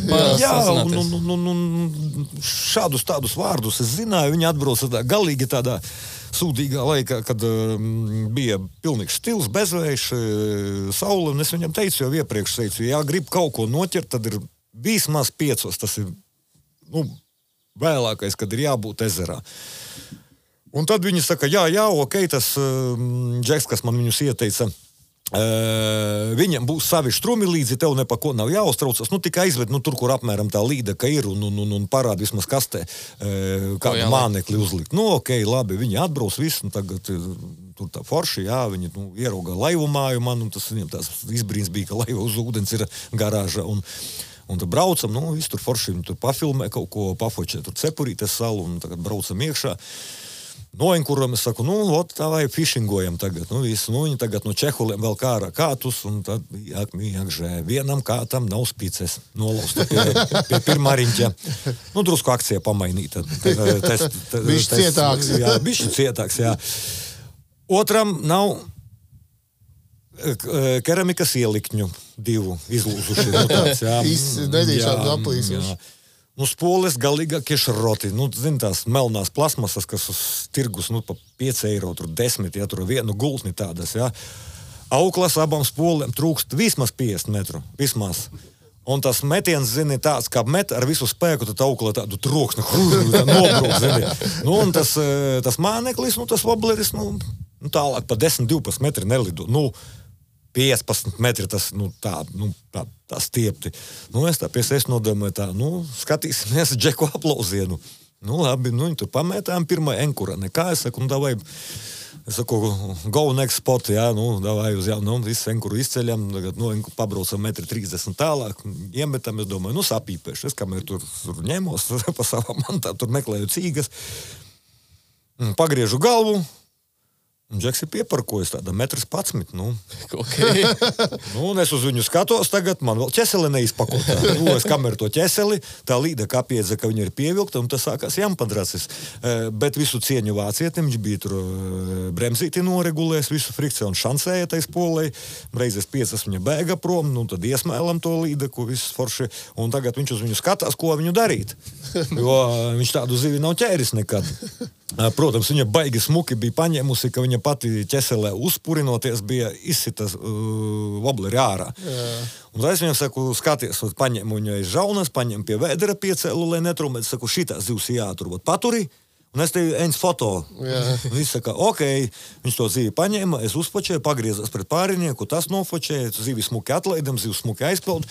Jā, un šādus tādus vārdus es zināju, viņi atbrauca galīgi tādā sūdīgā laikā, kad bija pilnīgs stils, bezvējš, saule, un es viņam teicu, jau iepriekš teicu, ja grib kaut ko noķert, tad ir vismaz 5, tas ir, vēlākais, kad ir jābūt ezerā. Un tad viņi saka, jā, ok, tas Džeks, kas man viņus ieteica, Viņam būs savi štrumi līdzi, tev ne pa ko nav jāuztraucas. Tikai aizved, tur, kur apmēram tā līdeka ir un parāda vismaz kastē, kādu mānekli uzlikt. Ok, labi, viņi atbrauc visu, tagad tur tā forši, jā, viņi ieraugā laivu māju man, un tas viņam tās izbrīns bija, ka laiva uz ūdens ir garāža, un tad braucam, visu tur forši, viņi tur pafilmē kaut ko, pafočē tur Cepurītes salu, un tagad braucam iekšā. Noenkuram, es saku, tā vai fishingojam tagad, visu, viņi tagad no Čehuliem vēl kārā kātus, un tad, jākžē, vienam kātam nav spices, nolausta pie pirmā riņķa. Drusku akcija pamainīta. Bišķi cietāks. Jā, bišķi cietāks, jā. Otram nav keramikas ielikņu divu izlūzuši. Tāds, jā. Nedīšādi aplīsuši. Spoles galīgākie šroti. Zin tās melnās plasmasas, kas uz tirgus, pa 5 eiro, tur 10, ja tur vienu gultni tādas, jā. Auklas abām spolēm trūkst vismaz 50 metru, vismaz. Un tas metiens, zini, tāds, kā met ar visu spēku, tad aukla tādu troksni, nobrūk, zini. Un tas māneklis, tas wobleris, tālāk pa 10-12 metri nelido. 15 metri tas, tā stiepti. Es tā pie sevis nodomāju tā, skatīsimies Džeku aplauzienu. Labi, viņi tur pamētām pirmā enkura. Nekā, es saku, go next spot, jā, davai uz jaunu, visu enkuru izceļam, tagad, pabraucam 1,30 m tālāk, iemetam, es domāju, sapīpēšu. Es kamēr tur ņemos, pa savām mantām, tur meklēju cīgas, pagriežu galvu, un Džeks ir pieparkojis tāda 1,11 m. Okay. Un es uz viņu skatos tagad, man vēl ķeseli neizpakotā. Es kameru to ķeseli, tā līda kapiedza, ka viņa ir pievilkta, un tas sākās jampadracis. Bet visu cieņu vācietim, viņš bija tur bremzīti noregulējis, visu frikciju un šansēja tais polei. Reizes 5 viņa bēga prom, tad iesmēlam to līdeku, viss forši. Un tagad viņš uz viņu skatās, ko viņu darīt. Jo viņš tādu zivi nav ķēris nekad. Protams, viņa baigi smuki bija paņēmusi, ka viņa pati ķeselē uzpurinoties bija izsitas wobleri ārā. Jā. Un tad es viņam saku, skaties, paņēmu viņu aiz žaunas, paņēmu pie vēdera piecēlu, lai netrumēt, saku, šitās zivs jāturbūt paturi, un es tevi eņas foto. Viņš saka, ok, viņš to zivi paņēma, es uzfočēju, pagriezās pret pārinieku, tas nofočēja, zivi smuki atlaidam, zivi smuki aizpeld,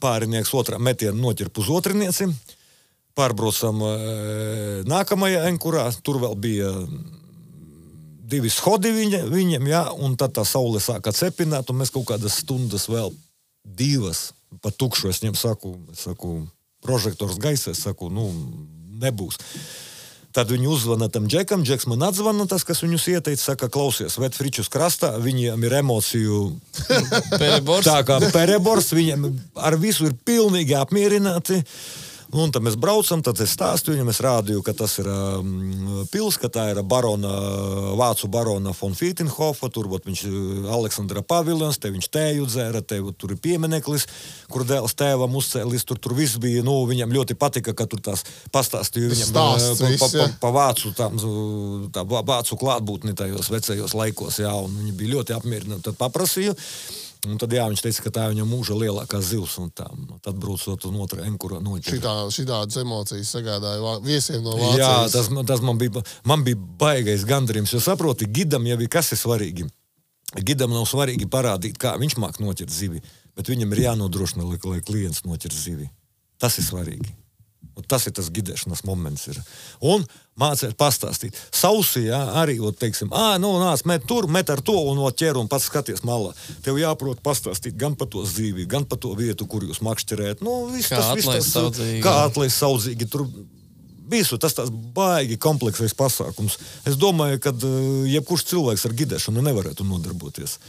pārinieks otrā metienu noķirp uz otrinieci. Pārbraucam nākamajā enkurā, tur vēl bija 2 schodi viņam, jā, un tad tā saule sāka cepināt, un mēs kaut kādas stundas vēl 2 pa tukšu, es viņam saku, prožektors gaisā, es saku, nebūs. Tad viņi uzzvana tam Džekam, Džeks man atzvana, tas, kas viņus ieteica, saka, klausies, ved fričus krastā, viņiem ir emociju tā kā perebors, viņiem ar visu ir pilnīgi apmierināti. Un tad mēs braucam, tad es stāstu viņam, es rādīju, ka tas ir pils, ka tā ir vācu barona von Fītenhofa, tur viņš Aleksandra Paviljons, te viņš tēju dzēra, te tur ir piemineklis, kur dēls tēvam uzcēlis, tur viss bija, viņam ļoti patika, ka tur tās pastāstīju viņam pa vācu, tā vācu klātbūtni tajos vecajos laikos, jā, un viņi bija ļoti apmierināti, tad paprasīju. Un tad, jā, viņš teica, ka tā ir viņam mūža lielākā zivs, un tā, tad braucot un otrā enkurā noķer. Šitādas emocijas sagādāja viesiem no Vācijas. Jā, tas man bija baigais gandarījums, jo saproti, gidam jau ir kas ir svarīgi. Gidam nav svarīgi parādīt, kā viņš māk noķert zivi, bet viņam ir jānodrošina, lai klients noķer zivi. Tas ir svarīgi. Un tas ir tas gidēšanas moments. Ir. Un mācēt pastāstīt. Sausi, jā, arī, teiksim, nāc, met ar to un ķer un pats skaties malā. Tev jāprot pastāstīt gan par to zīvi, gan par to vietu, kur jūs makšķerēt. Kā atlaist saudzīgi. Tur visu, tas tās baigi kompleksais pasākums. Es domāju, ka jebkurš cilvēks ar gidēšanu nevarētu nodarboties.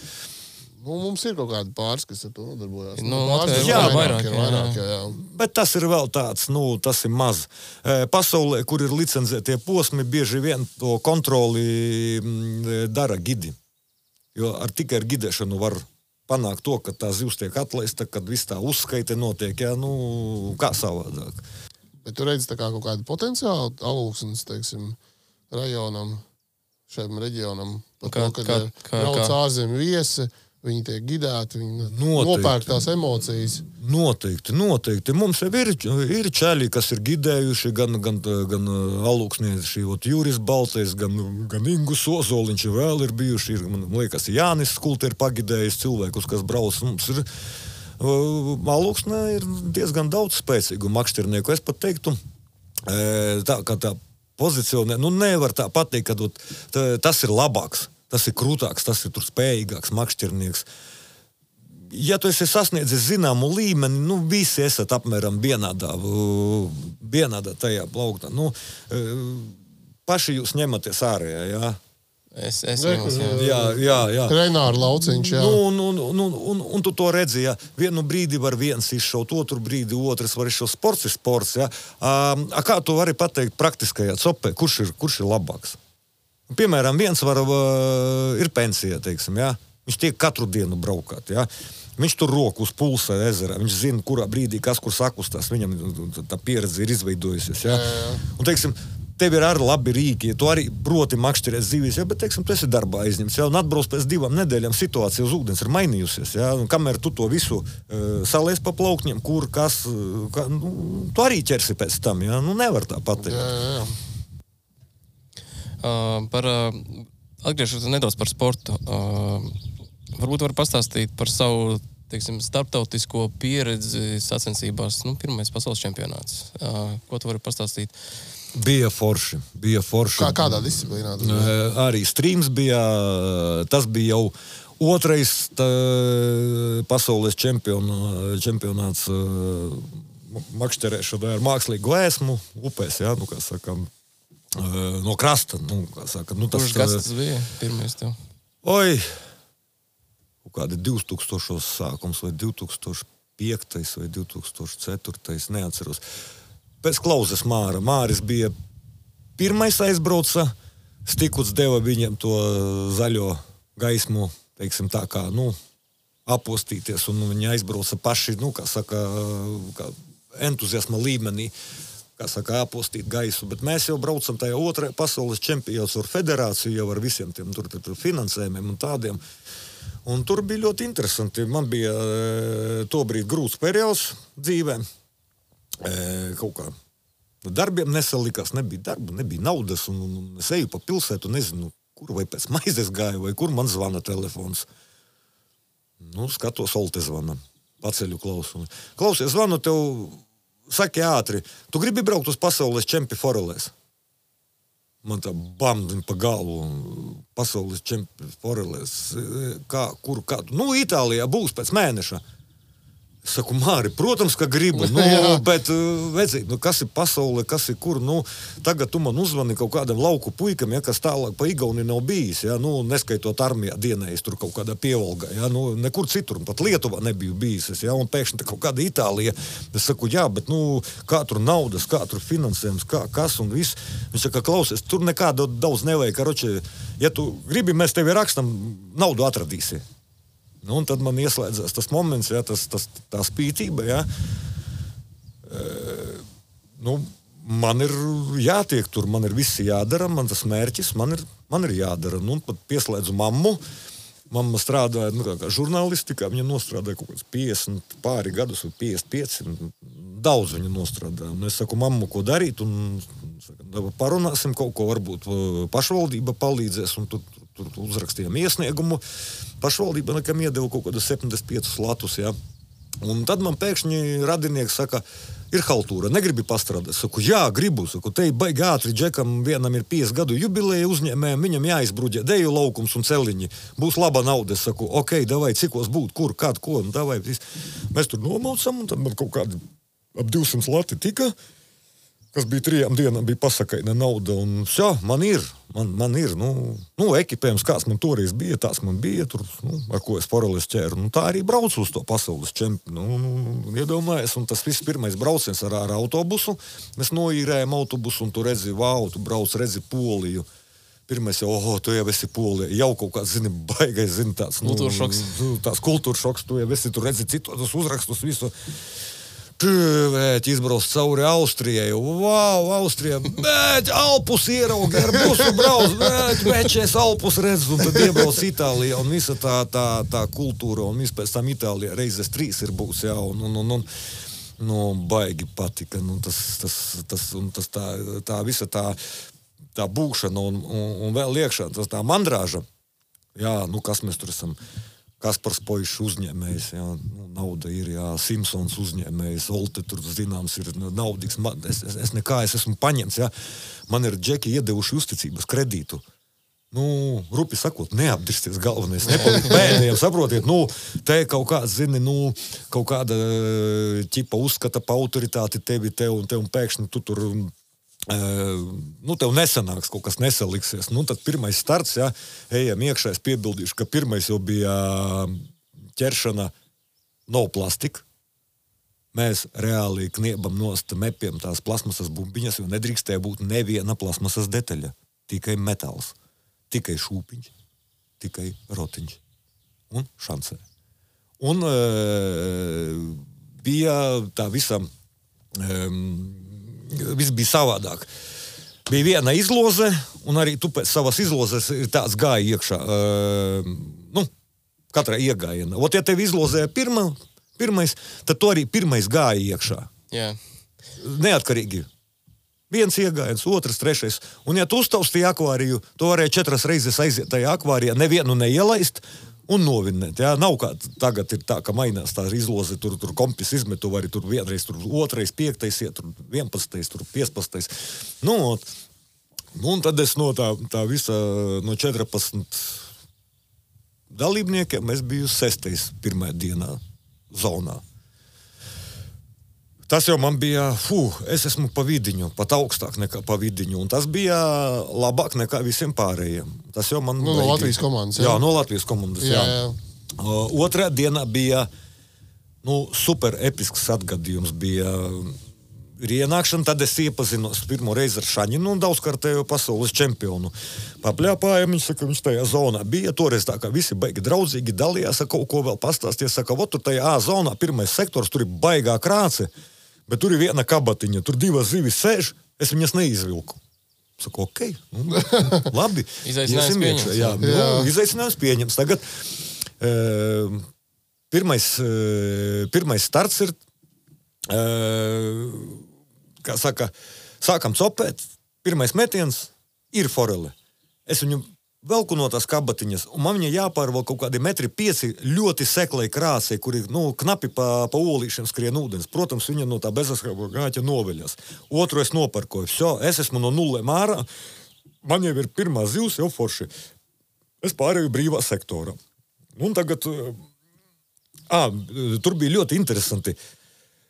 Mums ir kaut kādi pāris, kas ar to nodarbojās. Vairāk. Bet tas ir vēl tāds, tas ir maz. Pasaulē, kur ir licencētie posmi, bieži vien to kontroli dara gidi. Jo tikai ar gidēšanu var panākt to, ka tā zivs tiek atlaista, kad viss tā uzskaite notiek, jā, kā savādāk. Bet tu redzi tā kā kaut kādu potenciālu Alūksnes, teiksim, rajonam, šiem reģionam, par to, kad brauc ārzemju viesi, viņi tiek gidēti, viņi nopērk tās emocijas. Noteikti. Mums jau ir čēļi, kas ir gidējuši, gan alūksnieši, Juris Baltais, gan Ingus Ozoliņš vēl ir bijuši. Man liekas, Jānis Skulti ir pagidējis cilvēkus, kas brauc. Mums ir alūksnē ir diezgan daudz spēcīgu makšķernieku. Es pat teiktu, tā kā tā pozicionē, nevar tā pateikt, ka tas ir labāks, tas ir krūtāks, tas ir tur spējīgāks makšķernieks. Ja tu esi sasniedzis zināmu līmeni, visi esat apmēram vienādā tajā plauktā. Paši jūs ņematies ārējā, jā? Es ņemos, jā. Renāra lauciņš, jā. Un tu to redzi, jā. Vienu brīdi var viens izšaut, otru brīdi otrs var izšaut. Sports ir sports, jā. Kā tu vari pateikt praktiskajā copē, kurš ir labāks? Piemēram, viens ir pensija, teiksim, jā. Viņš tiek katru dienu braukāt, jā. Viņš tur roku uz pulsa ezerā, viņš zina, kurā brīdī kas kur sakustās, viņam tā pieredze ir izveidojusies, jā. Un, teiksim, tev ir arī labi rīki, tu arī proti makšķerēt zivis, jā, bet, teiksim, tu esi darbā aizņemts, jā, un atbrauc pēc 2 nedēļām situācija uz ūdens ir mainījusies, jā, un kamēr tu to visu salies pa plaukņiem, kur, kas, tu arī ķersi pēc tam, jā, nevar tā pateikt. Atgriežoties nedaudz par sportu, varbūt var pastāstīt par savu, teiksim, starptautisko pieredzi sacensībās, pirmais pasaules čempionāts. Ko tu vari pastāstīt? Bija forši. Kādā disciplīnā? Arī streams bija, tas bija jau otrais pasaules čempionāts makšķerēšanā ar mākslīgu ēsmu upēs, jā, kā sakām, no krasta, kā saka. Kurš gads tas bija pirmais tev? Oi, kādi 2000 sākums, vai 2005 vai 2004, neatceros. Pēc Klauzes Māra. Māris bija pirmais aizbrauca, Stikuts deva viņam to zaļo gaismu, teiksim tā kā, apostīties, un viņi aizbrauca paši, kā saka, kā entuziasma līmenī, kā saka, apostīt gaisu, bet mēs jau braucam tajā otrajā pasaules čempionāts ar federāciju, jau ar visiem tiem tur finansējumiem un tādiem. Un tur bija ļoti interesanti. Man bija tobrīd grūts periods dzīvē. Kaut kā darbiem nesalikās, nebija darba, nebija naudas, un es eju pa pilsētu, nezinu, kur vai pēc maizes gāju, vai kur man zvana telefons. Skatos, Olte zvana. Paceļu klausu. Klausies, zvanu tev, saki ātri, tu gribi braukt uz pasaules čempi forelēs? Man tā bamdiņ pa galvu, pasaules čempi forelēs, kur. Itālijā būs pēc mēneša. Es saku, Māri, protams, ka gribu, bet, vecīt, kas ir pasaule, kas ir kur, tagad tu man uzvani kaut kādam lauku puikam, ja, kas tālāk pa Igauni nav bijis, ja, neskaitot armijā dienējis tur kaut kādā pievalgā, ja, nekur citur, pat Lietuvā nebiju bijis, ja, un pēkšņi kaut kāda Itālija. Es saku, jā, bet, kā tur naudas, kā tur finansējums, kas un viss. Viņš saka, klausies, tur nekāda daudz nevajag, karoči, ja tu gribi, mēs tevi rakstam, naudu atradīsi. Un tad man ieslēdzās tas moments, jā, tā spītība, jā. Man ir jātiek tur, man ir viss jādara, man tas mērķis, man ir jādara. Pat pieslēdzu mammu. Mamma strādāja, kā žurnālistikā, viņa nostrādāja kaut kāds 50 pāri gadus vai 55. Daudz viņa nostrādāja. Un es saku, mammu, ko darīt, un parunāsim kaut ko, varbūt pašvaldība palīdzēs, un tur uzrakstījām iesniegumu. Pašvaldība nekam iedeva kaut kādu 75 latus, jā. Un tad man pēkšņi radinieks saka, ir haltūra, negribi pastrādāt. Saku, jā, gribu. Saku, te baigi ātri, džekam vienam ir 50 gadu jubileja uzņēmējiem, viņam jāizbruģē deju laukums un celiņi. Būs laba nauda. Es saku, ok, davai, cikos būt, kur, kād, ko, davai. Mēs tur nomaucam, un tad man kaut kādi ap 200 lati tika, kas bija 3 dienām, bija pasakaina nauda, un jā, man ir, ekipējums, kāds man toreiz bija, tās man bija, tur, ar ko es forelēs ķēru, tā arī braucu uz to pasaules čempi, iedomājies, un tas viss pirmais brauciens ar autobusu, mēs noīrējam autobusu, un tu redzi, tu brauc, redzi Poliju. Pirmais jau, tu jau esi Polija, jau kaut kāds, baigais, tāds, kultūršoks. Tās kultūršoks, tu jau esi, tu redzi citos uzrakstus, visu. izbrauc cauri Austrijai. Vau, Austrijā, bet Alpus ieraugi, ar busu brauc, bet es Alpus redzu, un tad iebrauc Itālijā, un visa tā kultūra, un viss pēc tam Itālijā reizes 3 ir būs, jā, un baigi patika, tas tā visa tā būšana, un vēl iekšā, tas tā mandrāža, jā, kas mēs tur esam, Kaspars Poišs uzņēmējs, jā, nauda ir, jā, Simpsons uzņēmējs, Olte tur zināms ir naudīgs, es esmu paņemts, jā, man ir džeki iedevuši uzticības kredītu. Rupi sakot, neapdirsties galvenais, nepalikt pēdējiem, saprotiet, te kaut kāds, zini, kaut kāda ķipa uzskata pa autoritāti tevi, un pēkšņi tu tur, tev nesanāks, kaut kas nesaliksies. Tad pirmais starts, jā, ejam iekšā, es piebildīšu, ka pirmais jau bija ķeršana no plastika. Mēs reāli kniebam nost mepiem tās plasmasas bumbiņas, jo nedrīkstēja būt neviena plasmasas detaļa. Tikai metāls, tikai šūpiņš, tikai rotiņš un šancē. Un bija tā visa... Viss bija savādāk. Bija viena izloze, un arī tu pēc savas izlozes ir tāds gāja iekšā. Katrai iegājiena. Ja tev izlozēja pirmais, tad tu arī pirmais gāja iekšā. Jā. Neatkarīgi. Viens iegājiens, otrs, trešais. Un ja tu uztaustīji akvāriju, tu varēji 4 reizes aiziet tajā akvārijā, nevienu neielaist, un novinnēt, jā, nav kā tagad ir tā, ka mainās tā izloze, tur kompis izmetu, vari tur vienreiz, tur otrais, 5, iet, tur 11, tur 15. Un tad es no tā visa, no 14 dalībniekiem, es biju 6. pirmajā dienā zonā. Tas jau man bija, es esmu pa vidiņu, pat augstāk nekā pa vidiņu, un tas bija labāk nekā visiem pārējiem. Tas jau man... No Latvijas komandas, jā. Jā, no Latvijas komandas, jā. Otrā dienā bija, super episks atgadījums bija ienākšana, tad es iepazinos pirmo reizi ar Šaņinu un daudzkārtējo pasaules čempionu. Papļāpājam, viņš tajā zonā bija, toreiz tā kā visi baigi draudzīgi dalījās, kaut ko vēl pastāsties, saka, tur tajā A zonā, pirmais sektors, tur ir baigā krāce, bet tur ir viena kabatiņa, tur 2 zivis sēž, es viņas neizvilku. Saku, labi. Izaicinājums pieņems. Jā, izaicinājums pieņems. Tagad pirmais starts ir, kā saka, sākam copēt, pirmais metiens ir forele. Es viņu velku no tās kabatiņas, un man viņa jāpārval kaut kādi 1,5 metri ļoti seklai krāsei, kuri, knapi pa olīšiem skrien ūdens. Protams, viņa no tā bezaskrāba gāķa noveļas. Otru es noparkoju. Es esmu no 0 ārā, man jau ir pirmā zivs, jau forši. Es pārēju brīvā sektorā. Un tagad, tur bija ļoti interesanti.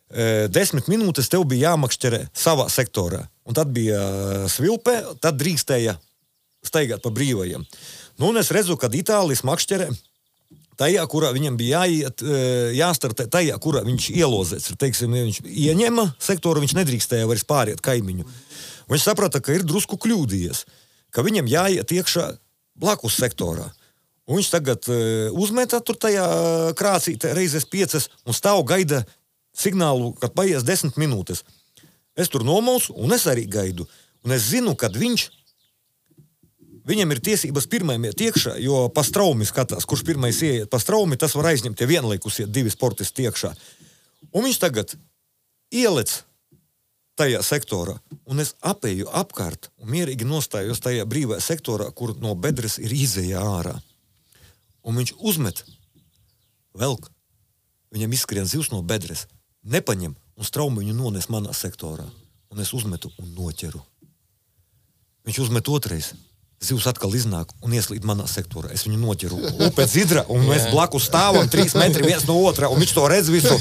10 minūtes tev bija jāmakšķerē savā sektorā. Un tad bija svilpē, tad drīkstēja staigāt pa brīvajiem. Un es redzu, kad Itālijas makšķerē tajā, kurā viņam bija jāstartē, tajā, kurā viņš ielozēts. Teiksim, viņš ieņema sektoru, viņš nedrīkstēja vairs pāriet kaimiņu. Viņš saprata, ka ir drusku kļūdījies, ka viņam jāiet iekšā blakus sektorā. Un viņš tagad uzmetā tur tajā krācītē reizes 5 un stāv gaida signālu, kad paies 10 minūtes. Es tur nomausu un es arī gaidu. Un es zinu, kad viņam ir tiesības pirmajam iet iekšā, jo pa straumi skatās, kurš pirmais ieiet pa straumi, tas var aizņemt, ja vienlaikus iet 2 sportisti iekšā. Un viņš tagad ielec tajā sektorā, un es apēju apkārt un mierīgi nostājos tajā brīvajā sektorā, kur no bedres ir izejā ārā. Un viņš uzmet, velk, viņam izskrien zivs no bedres, nepaņem un straumi viņu nones manā sektorā. Un es uzmetu un noķeru. Viņš uzmet otrais. Zivs atkal iznāk un ieslīd manā sektorā. Es viņu noķeru upē dzidra, un mēs blakus stāvam 3 metri viens no otrā, un viņš to redz visu.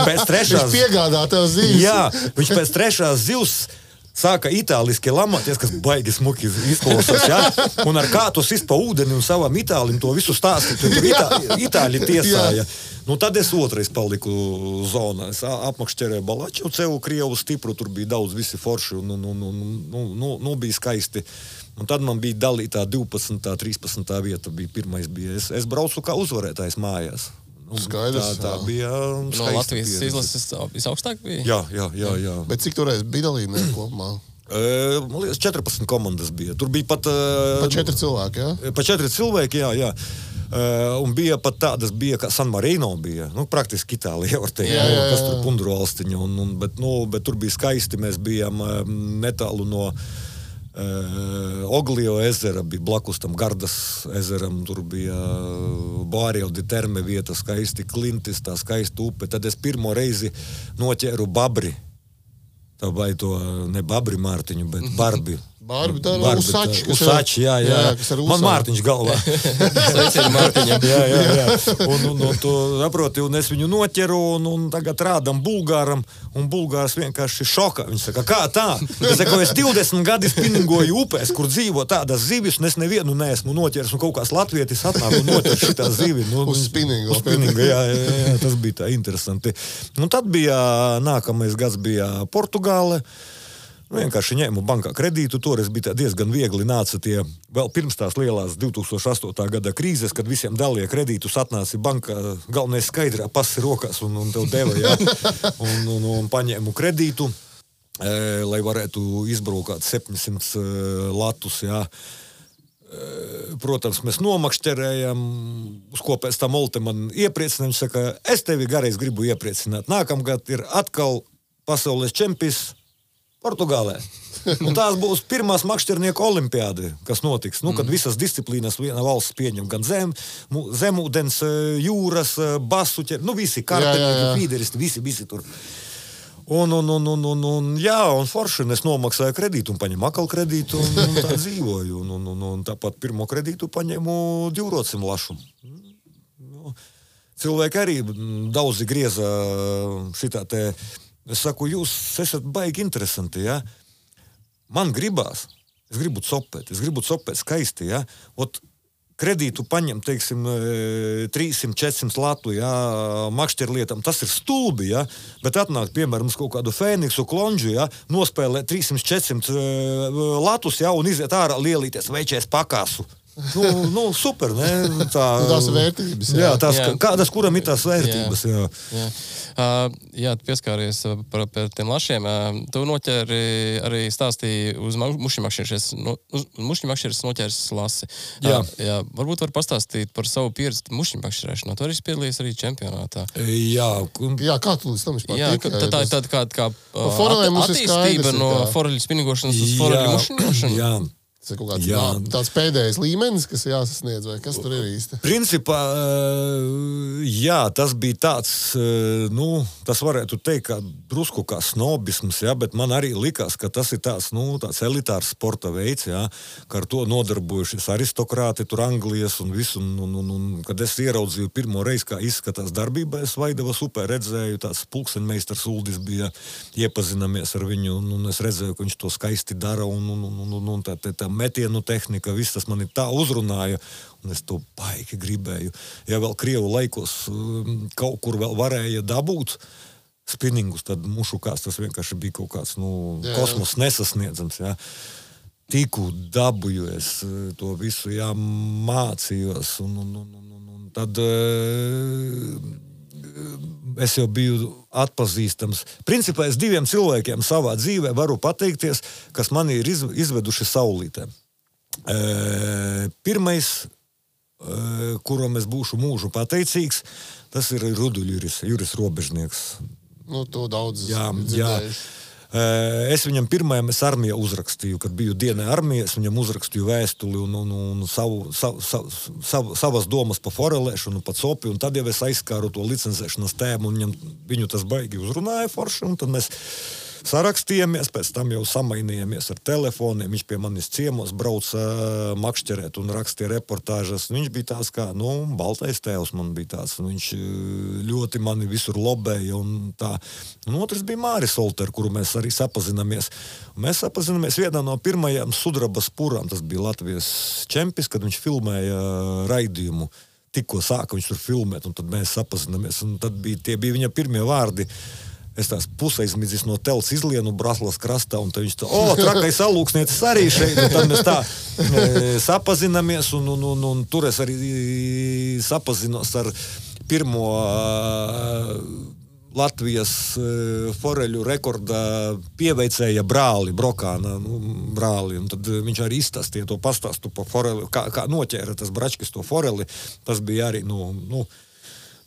Pēc trešās... Viņš piegādā tev zivs. Jā, viņš pēc trešās zivs sāka itāliski lamāties, kas baigi smuki izklausās, jā? Un ar kātu sist pa ūdeni un savam itālim to visu stāstīt, tur itāļi tiesāja. Tad es otrais paliku zonā. Es apmakšķerēju Balaču, cevu Krievu stipru, tur bija daudz visi forši, un bija skaisti. Un tad man bija dalītā 12. 13. vieta, pirmais bija. Es braucu kā uzvarētājs mājās. Skaidrs, tā bija No Latvijas izlases visaugstāk bija? Jā. Bet cik toreiz bija dalībnieki kopumā? Man liekas, 14 komandas bija. Tur bija pat... Pa 4 cilvēki, jā? Pa 4 cilvēki, jā. Un bija pat tādas, kā San Marino bija. Praktiski Itālija, var teikt. Kas tur Pundru valstiņa. Bet tur bija skaisti. Mēs bijām netālu no Oglio ezera, bija blakus tam Gardas ezeram. Tur bija Bārjau di Terme vieta, skaisti Klintis, tā skaista upe. Tad es pirmo reizi noķēru babri. Tā vai to ne babri Mārtiņu, bet barbi. Barbi, tā ir Usači. Usači, jā. Man Mārtiņš galvā. Sveicien Mārtiņam. Jā. Un tu saproti, un es viņu noķeru, un tagad rādam Bulgāram, un Bulgārs vienkārši šokā. Viņš saka, kā tā? Es saku, es 20 gadi spinningoju upēs, kur dzīvo tādas zivis, un es nevienu neesmu noķeris, un kaut kāds latvietis atnāk un noķer šitā zivi. Uz spinningu. Uz spinningu, jā, tas bija tā interesanti. Un tad bija, nākamais gads bija Portugāle. Vienkārši ņēmu bankā kredītu, toreiz bija diezgan viegli nāca tie, vēl pirms tās lielās 2008. Gada krīzes, kad visiem dalīja kredītus, atnāci bankā, galvenais skaidrā pasi rokās un tev deva, jā, un paņēmu kredītu, lai varētu izbraukāt 700 latus, jā. Protams, mēs nomakšķerējam, uz ko pēc tam Olte man iepriecinājām, viņš saka, es tevi gareiz gribu iepriecināt, nākamgad ir atkal pasaules čempions Portugālē. Un tās būs pirmās makšķernieku olimpiādi, kas notiks. Kad visas disciplīnas viena valsts pieņem, gan zemūdens, jūras, basu, visi kartenieki, fīderisti, visi tur. Un forši, es nomaksāju kredītu un paņemu akal kredītu un tā dzīvoju. Un tāpat pirmo kredītu paņemu 200 lašu. Cilvēki arī daudzi grieza šitā te. Es saku, jūs esat baigi interesanti, ja? Man gribās, es gribu copēt skaisti, ja? Kredītu paņem, teiksim, 300-400 latu, ja? Makšķerlietam, tas ir stulbi, ja? Bet atnāk, piemēram, uz kaut kādu Fēniksu klonžu, ja? Nospēlē 300-400 latus, ja? Un iziet ārā lielīties veičies pakāsu. Super, ne? Tās vērtības, jā. Kādas, kuram ir tās vērtības, jā. Jā, tu pieskāries par tiem lašiem. Tu noķēri arī stāstīji uz mušņimakšķeres noķēris lasi. Jā, varbūt var pastāstīt par savu pieredzi mušņimakšķerēšanā. Tu arī piedalījies arī čempionātā. Jā, kā tu līdz tam vispār tika? Jā, tā ir tāda kā attīstība no foreļu spinningošanas uz foreļu mušņošanu. Jā. Tas ir kaut kāds tāds pēdējais līmenis, kas jāsasniedz, vai kas tur ir īsti? Principā, jā, tas bija tāds, tas varētu teikt, kā drusku kā snobisms, jā, bet man arī likās, ka tas ir tāds elitārs sporta veids, jā, ka ar to nodarbojušies aristokrāti tur Anglijas un visu, un kad es ieraudzīju pirmo reizi, kā izskatās darbībā, es Vaidavas upē redzēju, tāds pulkseņmeistars Uldis bija, iepazinamies ar viņu, un es redzēju, ka viņš to skaisti dara, un tā metienu tehnika, viss tas mani tā uzrunāja, un es to baigi gribēju. Ja vēl Krievu laikos kaut kur vēl varēja dabūt spinningus, tad mušukās tas vienkārši bija kaut kāds, kosmos nesasniedzams, jā. Tiku dabūju es to visu, jā, mācījos, un tad es jau biju atpazīstams. Principā es 2 cilvēkiem savā dzīvē varu pateikties, kas mani ir izveduši saulītē. Pirmais, kuram es būšu mūžu pateicīgs, tas ir Ruduļs, Juris Robežnieks. To daudz dzirdējuši. Es viņam pirmajam armijā uzrakstīju, kad biju dienā armijā, es viņam uzrakstīju vēstuli un savas domas pa forelēšanu, pa copi, un tad jau es aizskāru to licencēšanas tēmu, un viņu tas baigi uzrunāja forši, un tad mēs sarakstījāmies, pēc tam jau samainījāmies ar telefoniem, viņš pie manis ciemos brauca makšķerēt un rakstīja reportāžas, viņš bija tāds kā, baltais tēvs man bija tāds, un viņš ļoti mani visur lobēja, un tā. Un otrs bija Māris Olter, kuru mēs arī sapazināmies. Mēs sapazināmies vienā no pirmajām sudrabas purām, tas bija Latvijas čempis, kad viņš filmēja raidījumu. Tikko sāka viņš tur filmēt, un tad mēs sapazināmies, un tad tie bija viņa pirmie vārdi. Es tās pusaizmidzis no telts izlienu Braslas krastā, un tad viņš tā, trakais alūksniecis arī šeit, un tad mēs tā sapazinamies, un tur es arī sapazinos ar pirmo Latvijas foreļu rekorda pieveicēja brāli, Brokāna brāli, un tad viņš arī izstāstīja to pastāstu pa foreli, kā noķēra tas bračkis to foreli, tas bija arī,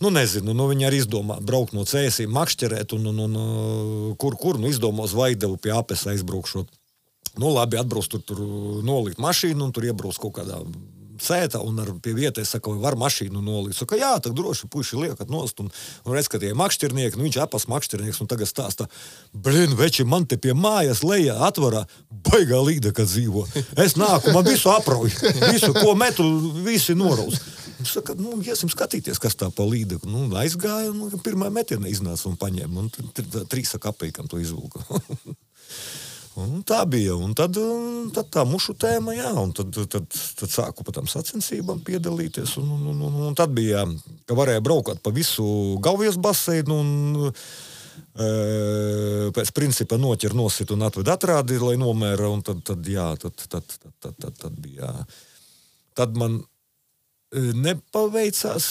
nezinu, viņi arī izdomā braukt no Cēsīm, makšķerēt, un kur izdomā uz Vaidevu pie Apes aizbraukšot. Labi, atbrauc tur nolikt mašīnu, un tur iebrauc kaut kādā sēta, un pie vietai saka, vai var mašīnu nolikt. Saka, jā, tak droši puiši liekat nost, un redz, ka tie makšķernieki, viņš Apas makšķernieks, un tagad stāsta, veči, man te pie mājas lejā atvarā, baigā līda, kad dzīvo. Es nāku, man visu aprauj, visu, ko metu, visi noraus. Viņš saka, iesim skatīties, kas tā pa līda. Aizgāja, un pirmā metiena iznāca un paņēma, un 3 kapekam to izvilka. Un tā bija, un tad tā mušu tēma, jā, un tad sāku pa tām sacensībām piedalīties, un tad bija, ka varēja braukāt pa visu Gauvijas baseinu, un pēc principa noķer nosit un atved atrādi, lai nomēra, un tad bija, tad man nepaveicās,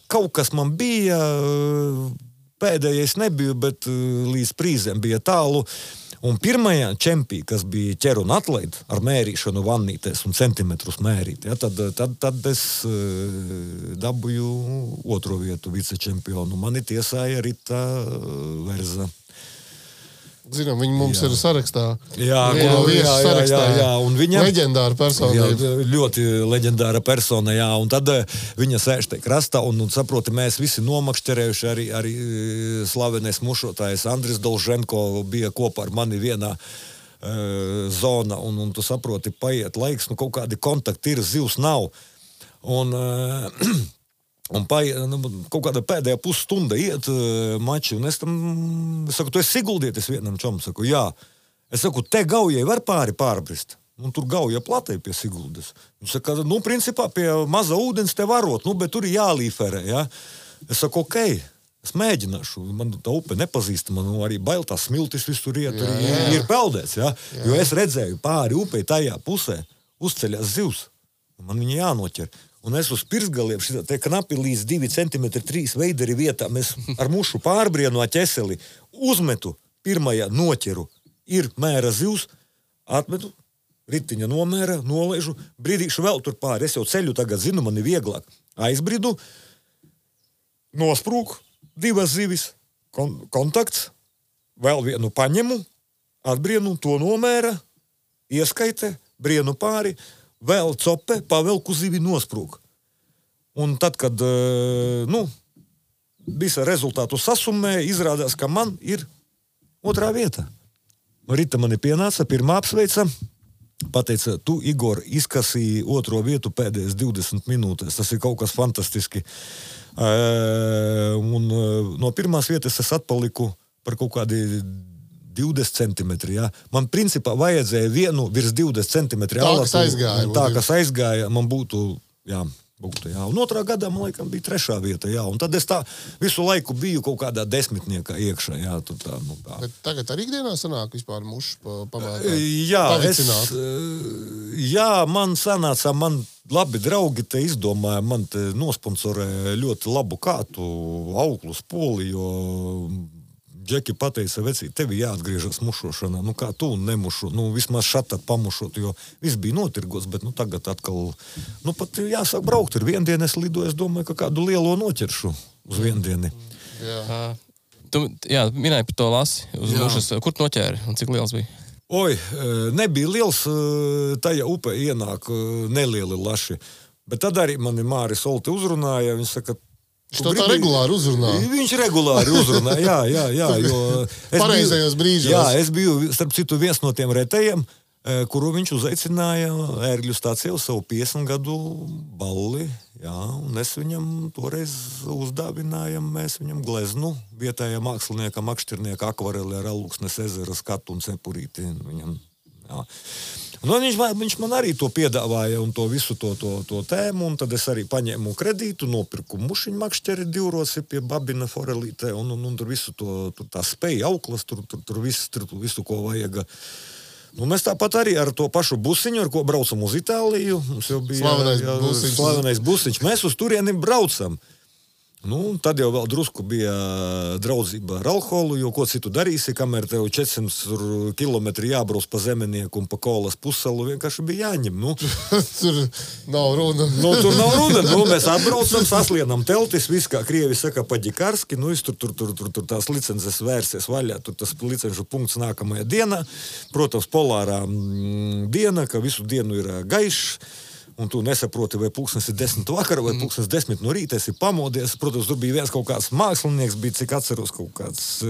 kaut kas man bija, pēdējais nebija, bet līdz prīzēm bija tālu. Un pirmajā čempī, kas bija ķer un atlaid ar mērīšanu vannītēs un centimetrus mērīt, ja, tad es dabūju 2. vietu vicečempionu. Mani tiesāja Rita Verza. Zinām, viņi mums ir sarakstā. Jā, un viņa leģendāra personība. Jā, ļoti leģendāra persona, jā, un tad viņa sēž te krastā, un saproti, mēs visi nomakšķerējuši, arī slavenais mušotājs Andris Dolženko bija kopā ar mani vienā zona, un tu saproti, paiet laiks, kaut kādi kontakti ir, zivs nav. Un kaut kāda pēdējā pusstunda iet mači, un es saku, tu esi Siguldietis vienam čom, saku, jā. Es saku, te Gaujai var pārbrist, un tur Gauja platai pie Siguldes. Viņš saka, principā pie maza ūdens te varot, bet tur ir jālīferē, jā. Es saku, okei, es mēģināšu, man tā upe nepazīsta, man arī bail tās smiltis visur iet, tur ir peldēts, jā. Jo es redzēju pāri upei tajā pusē, uzceļās zivs, un man viņa jānoķer. Un es uz pirsgaliem, te knapi līdz 2 centimetri 3 veideri vietā, mēs ar mušu pārbrienu ķeseli uzmetu, pirmajā noķeru, ir mēra zivs, atmetu, ritiņa nomēra, nolaižu, brīdīšu vēl tur pāri, es jau ceļu tagad zinu, man ir vieglāk. Aizbridu, nosprūk, 2 zivis, kontakts, vēl vienu paņemu, atbrienu, to nomēra, ieskaite, brienu pāri, vēl cope, pavelku zivi nosprūk. Un tad, kad, visa rezultātu sasumē, izrādās, ka man ir 2. vieta. Rita mani pienāca, pirmā apsveica, pateica, tu, Igor, izkasīji 2. vietu pēdējās 20 minūtēs. Tas ir kaut kas fantastiski. Un no pirmās vietas es atpaliku par kaut kādi 20 centimetri, jā. Man principā vajadzēja vienu virs 20 centimetri. Tā, kas aizgāja, man būtu, jā. Un 2. gadā, man laikam, bija 3. vieta, jā. Un tad es tā visu laiku biju kaut kādā 10. iekšā, jā. Tā. Bet tagad arī ikdienā sanāk vispār mušs pavicināt? Jā, man sanāca, man labi draugi te izdomāja, man te nosponsorē ļoti labu kātu auklus poli, jo Džeki pateica, vecī, tevi jāatgriežas mušošanā, kā tu nemušu, vismaz šatā pamušot, jo viss bija notirgots, bet tagad atkal, pat jāsāk braukt, ir viendien es lidoju, es domāju, ka kādu lielo noķeršu uz viendieni. Jā. Tu minēji par to lasi uz mušas, kur tu noķēri un cik liels bija? Oi, nebija liels, tajā upē ienāk nelieli laši, bet tad arī mani Māris Olte uzrunāja, viņš saka, Viņš to tā regulāri uzrunā. Viņš regulāri uzrunā, jā, jo... Pareizajos brīžos. Jā, es biju, starp citu, viens no tiem retējiem, kuru viņš uzaicināja ērgļu stācijā uz savu 50 gadu balli, jā, un es viņam toreiz uzdāvinājam, mēs viņam gleznu, vietējā mākslinieka, makšķirnieka akvareli ar Alūksnes ezera skatu un cepurīti viņam, jā. Un viņš man arī to piedāvāja un to visu to tēmu, un tad es arī paņēmu kredītu, nopirku mušiņu makšķeri 2 roci pie Babina forelītē, un tur visu tā spēja auklas, tur visu, ko vajag. Mēs tāpat arī ar to pašu busiņu, ar ko braucam uz Itāliju, mums jau bija slavenais busiņš. Mēs uz turieni braucam. Nu, tad jau vēl drusku bija draudzība ar alkoholu, jo ko citu darīsi, kamēr tev 400 kilometri jābrauc pa Zemenieku un pa Kolas pussalu, vienkārši bija jāņem. Nu, Tur nav runa. tur nav runa. Mēs atbraucam, saslienam teltis, viss, kā krievi saka, paģikarski, tur tās licences vērsies vaļā, tur tas licenšu punkts nākamajā dienā. Protams, polārā diena, ka visu dienu ir gaišs. Un tu nesaproti, vai pulkstens ir 10 vakara, vai pulkstens 10 no rīta, esi pamodies. Protams, tur bija viens kaut kāds mākslinieks, bija, cik atceros, kaut kāds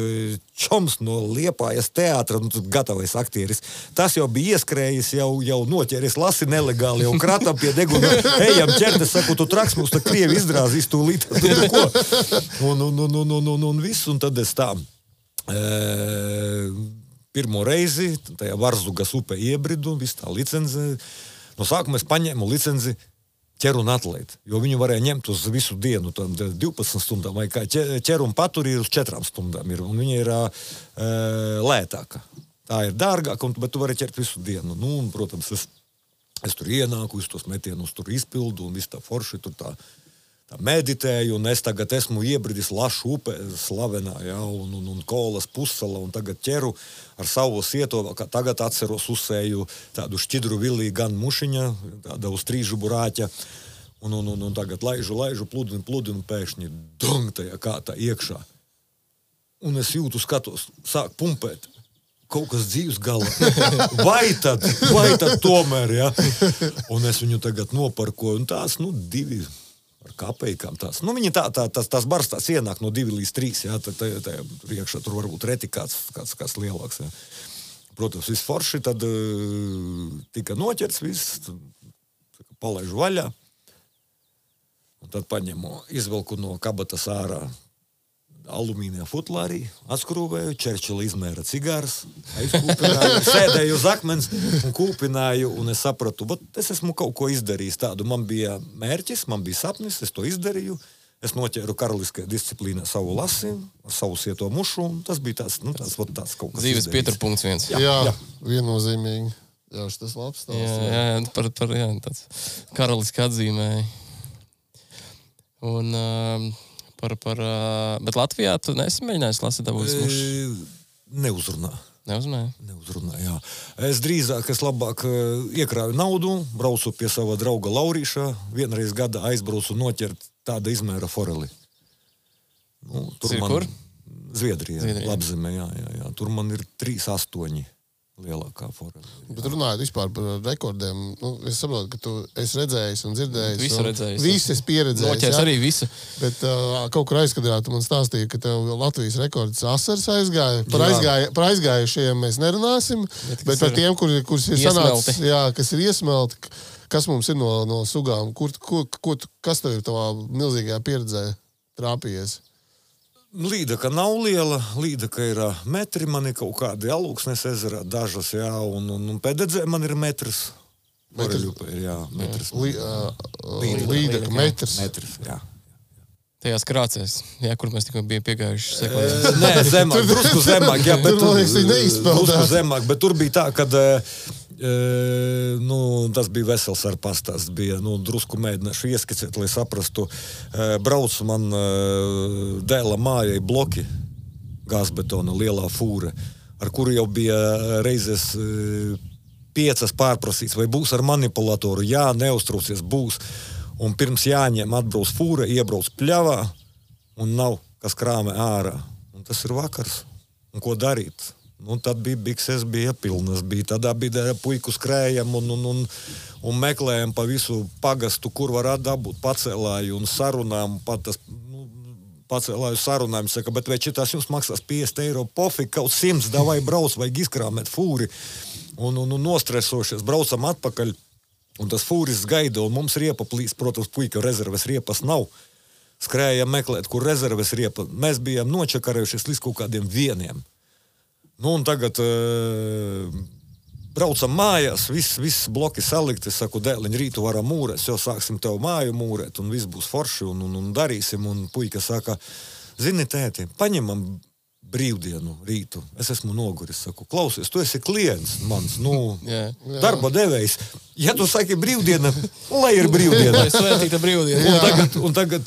čoms no Liepājas teātra, gatavais aktieris. Tas jau bija ieskrējis, jau noķēries, lasi nelegāli, jau kratam pie deguna, ejam ķerties, saku, tu traks, mums tā krievi izdrāzīs tūlīt, ko. Un viss, un tad es tā pirmo reizi, tajā Varzugas upē iebridu, viss tā licence. No sākuma es paņēmu licenci ķer un atlaid, jo viņu varēja ņemt uz visu dienu, 12 stundām, vai kā ķer un paturi ir uz 4 stundām, un viņa ir lētāka. Tā ir dārgāka, bet tu vari ķert visu dienu. Nu, un, protams, es tur ienāku, es tos metienus tur izpildu, un viss tā forši tur tā meditēju, un es tagad esmu iebridis Lašu upē, slavenā, ja, un Kolas pussala, un tagad ķeru ar savu sieto, kā tagad atceros, uzsēju tādu šķidru vilī gan mušiņa, tāda uz trīžu burāķa, un tagad laižu, pludinu, pēkšņi dong tajā kātā iekšā. Un es jūtu, skatos, sāk pumpēt. Kaut kas dzīves gala. Vai tad tomēr, ja? Un es viņu tagad noparkoju, un tās, 2 ar kapeikām tās. Viņi tās bars tās ienāk no 2 līdz 3, jā, tad iekšā tur varbūt reti kāds lielāks, jā. Protams, viss forši, tad tika noķerts viss, palaižu vaļā, un tad paņemu, izvelku no kabatas ārā alumīnija futlārī, atskrūvēju, Čerčila izmēra cigārs, aizkūpināju, sēdēju uz akmens un kūpināju, un es sapratu, es esmu kaut ko izdarījis tādu. Man bija mērķis, man bija sapnis, es to izdarīju, es noķēru karaliskajā disciplīnā savu lasi, savu sieto mušu, un tas bija tāds kaut kas dzīves pieturpunkts viens. Jā, viennozīmīgi. Jā, tas labs stāsts. Jā, par tāds karaliski atzīmēja. Un... Bet Latvijā tu nesi mēģinājis lasīt dabūs mušas? Neuzrunā, jā. Es labāk iekrāju naudu, braucu pie sava drauga Laurīša, vienreiz gadā aizbraucu noķert tāda izmēra foreli. Tur kur? Zviedrijā. Labzemē, jā. Tur man ir 3,8 lielākā foreli. Bet runājot vispār par rekordiem, es saprotu, ka tu esi redzējis un dzirdējis. Visu redzējis. Visu esi pieredzējis. Noķers arī visu. Bet kaut kur aizkadrā tu man stāstīji, ka tev Latvijas rekords asars aizgāja. Par aizgājušajiem mēs nerunāsim, bet par tiem, kurus ir sanācis, kas ir iesmelti, kas mums ir no sugām, kas tev ir tavā milzīgajā pieredzē trāpījies? Līdaka nav liela, līdaka ir metri, man ir kaut kādi Alūksnes ezerā dažas, jā, un Pededzē man ir metrs. Metrs. Līdaka metrs. Metrs, jā. Tajās krācēs, kur mēs tikko bijām piegājuši sekundēs. Nē, zemāk, drusku zemāk, jā, bet tur drusku zemāk, bet tur bija tā, kad tas bija vesels ar pastāsts, bija, drusku mēģināšu ieskicēt, lai saprastu. Brauc man dēla mājai bloki, gāzbetona, lielā fūra, ar kuru jau bija reizes 5 pārprasīts, vai būs ar manipulatoru, jā, neuztraucies, būs. Un pirms jāņem atbrauc fūra, iebrauc pļavā, un nav, kas krāmē ārā. Un tas ir vakars. Un ko darīt? Tad bija bikses, bija pilnas, tādā bija puiku skrējam un meklējam pa visu pagastu, kur var dabūt pacēlāju un sarunām, pacēlāju sarunām, saka, bet vai šitās jums maksās 50 eiro, pofik, kaut 100, davai brauc, vajag izkrāmēt fūri, un nostresošies, braucam atpakaļ, un tas fūris gaida, un mums riepa plīs, protams, puika rezerves riepas nav, skrējam meklēt, kur rezerves riepa, mēs bijām nočakarējušies līdz kaut kādiem 1. Un tagad braucam mājās, viss bloki salikti, es saku, dēliņ, rītu varam mūrēt, jau sāksim tev māju mūrēt, un viss būs forši, un darīsim, un puika saka, zini, tēti, paņemam brīvdienu rītu, es esmu noguris, saku, klausies, tu esi klients mans, darba devējs, Ja tu saki brīvdiena, lai ir brīvdiena. Lai svētīta brīvdiena. Un tagad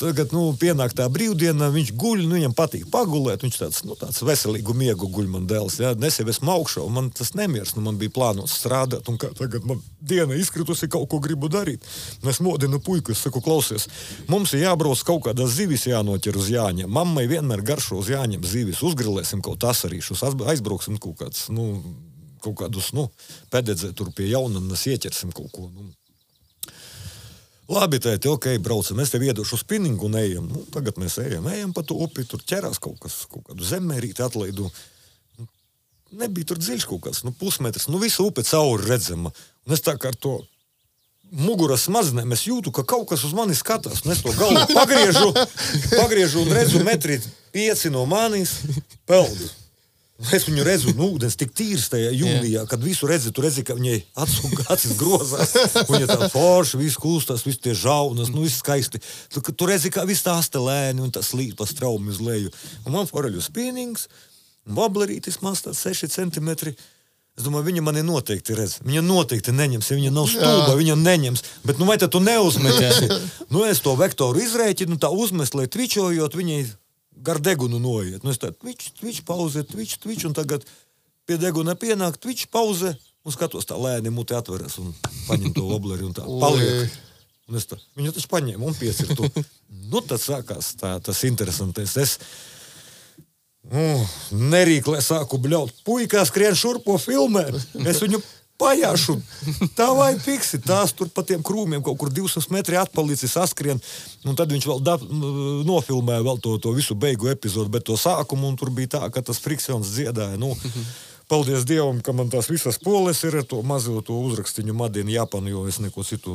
pienāk tā brīvdiena, viņš guļ, viņam patīk pagulēt, viņš tāds veselīgu miegu guļ man dēls, jā, nesen esmu augšā, un man tas nemieris, man bija plānots strādāt, un kā tagad man diena izkritusi, kaut ko gribu darīt. Un es modinu puiku, es saku, klausies, mums ir jābrauc kaut kādas zivis jānoķer uz Jāņiem. Mammai vienmēr garšo uz Jāņiem zivis, uzgrilēsim kaut asarīšus, aizbrauksim kaut kāds, kaut kādus, pededzē tur pie Jaunanas ieķersim kaut ko. Labi, tēti, ok, braucam, es tev iedošu spinningu un ejam. Tagad mēs ejam pa to upi, tur ķerās kaut kādu zemmērīti atlaidu. Nebija tur dziļš kaut kāds, pusmetrs, visu upi cauri redzama. Un es tā kā ar to muguras smadzenēm, es jūtu, ka kaut kas uz mani skatās, un es to galvu pagriežu un redzu 1,5 no manis peldu. Es viņu redzu, ūdens tik tīrs tajā jūlijā, kad visu redzi, tu redzi, ka viņai acis grozās, viņa tā forši, viss kūstās, viss tie žaunas, viss skaisti. Tu redzi, kā viss tā astelēni un tā slīd pa straumi uz leju. Un man foreļu spinnings, woblerītis maz tāds 6 centimetri. Es domāju, viņa mani noteikti redz. Viņa noteikti neņems, ja viņa nav stulba, viņa neņems. Bet vai tad tu neuzmetēsi? Es to vektoru izrēķinu, tā uzmest, lai tvičojot, viņai gar degunu noiet. Es tā tvič, pauze, tvič, un tagad pie deguna pienāk, tvič, pauze, un skatos tā lēni muti atveras un paņem to obleri un tā paliek. Un es tā, viņu taču paņēmu un piecirtu. Tad sākās tas interesantais. Es nerīklē sāku bļaut. Puikā skrien šurpo filmē. Es viņu pajāšu. Tā vai piksi. Tās tur pa tiem krūmiem kaut kur 200 metri atpalicis saskrien. Un tad viņš vēl nofilmēja vēl to visu beigu epizodu, bet to sākumu, un tur bija tā, ka tas friksons dziedāja. Paldies Dievam, ka man tās visas poles ir ar to mazo to uzrakstiņu Madina Japanu, jo es neko citu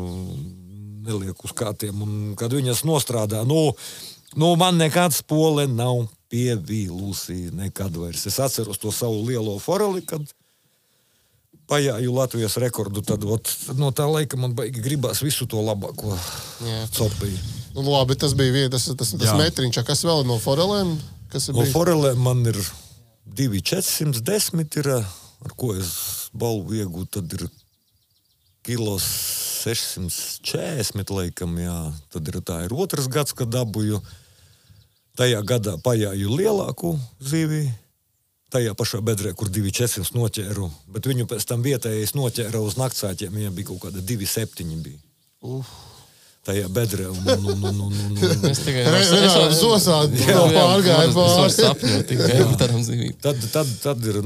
nelieku uz kātiem. Un kad viņas nostrādā, man nekāds pole nav pievīlusi nekad vairs. Es atceros to savu lielo foreli, kad pajāju Latvijas rekordu, tad no tā laika man baigi gribās visu to labāko copiju. Labi, tas bija tas metriņš, kas vēl no forelēm? No forelēm man ir 2,410 ir, ar ko es balvu iegūtu, tad ir kilos 640 laikam, jā. Tad tā ir otrs gads, kad dabūju. Tajā gadā pajāju lielāku zivi. Tajā pašā bedrē, kur 2,400 noķēru, bet viņu pēc tam vietējais noķēra uz naktsāķiem, viņam bija kaut kāda 2,7 bija. Tajā bedrē. Es tikai zosādi pārgāju pāris. Tad ir,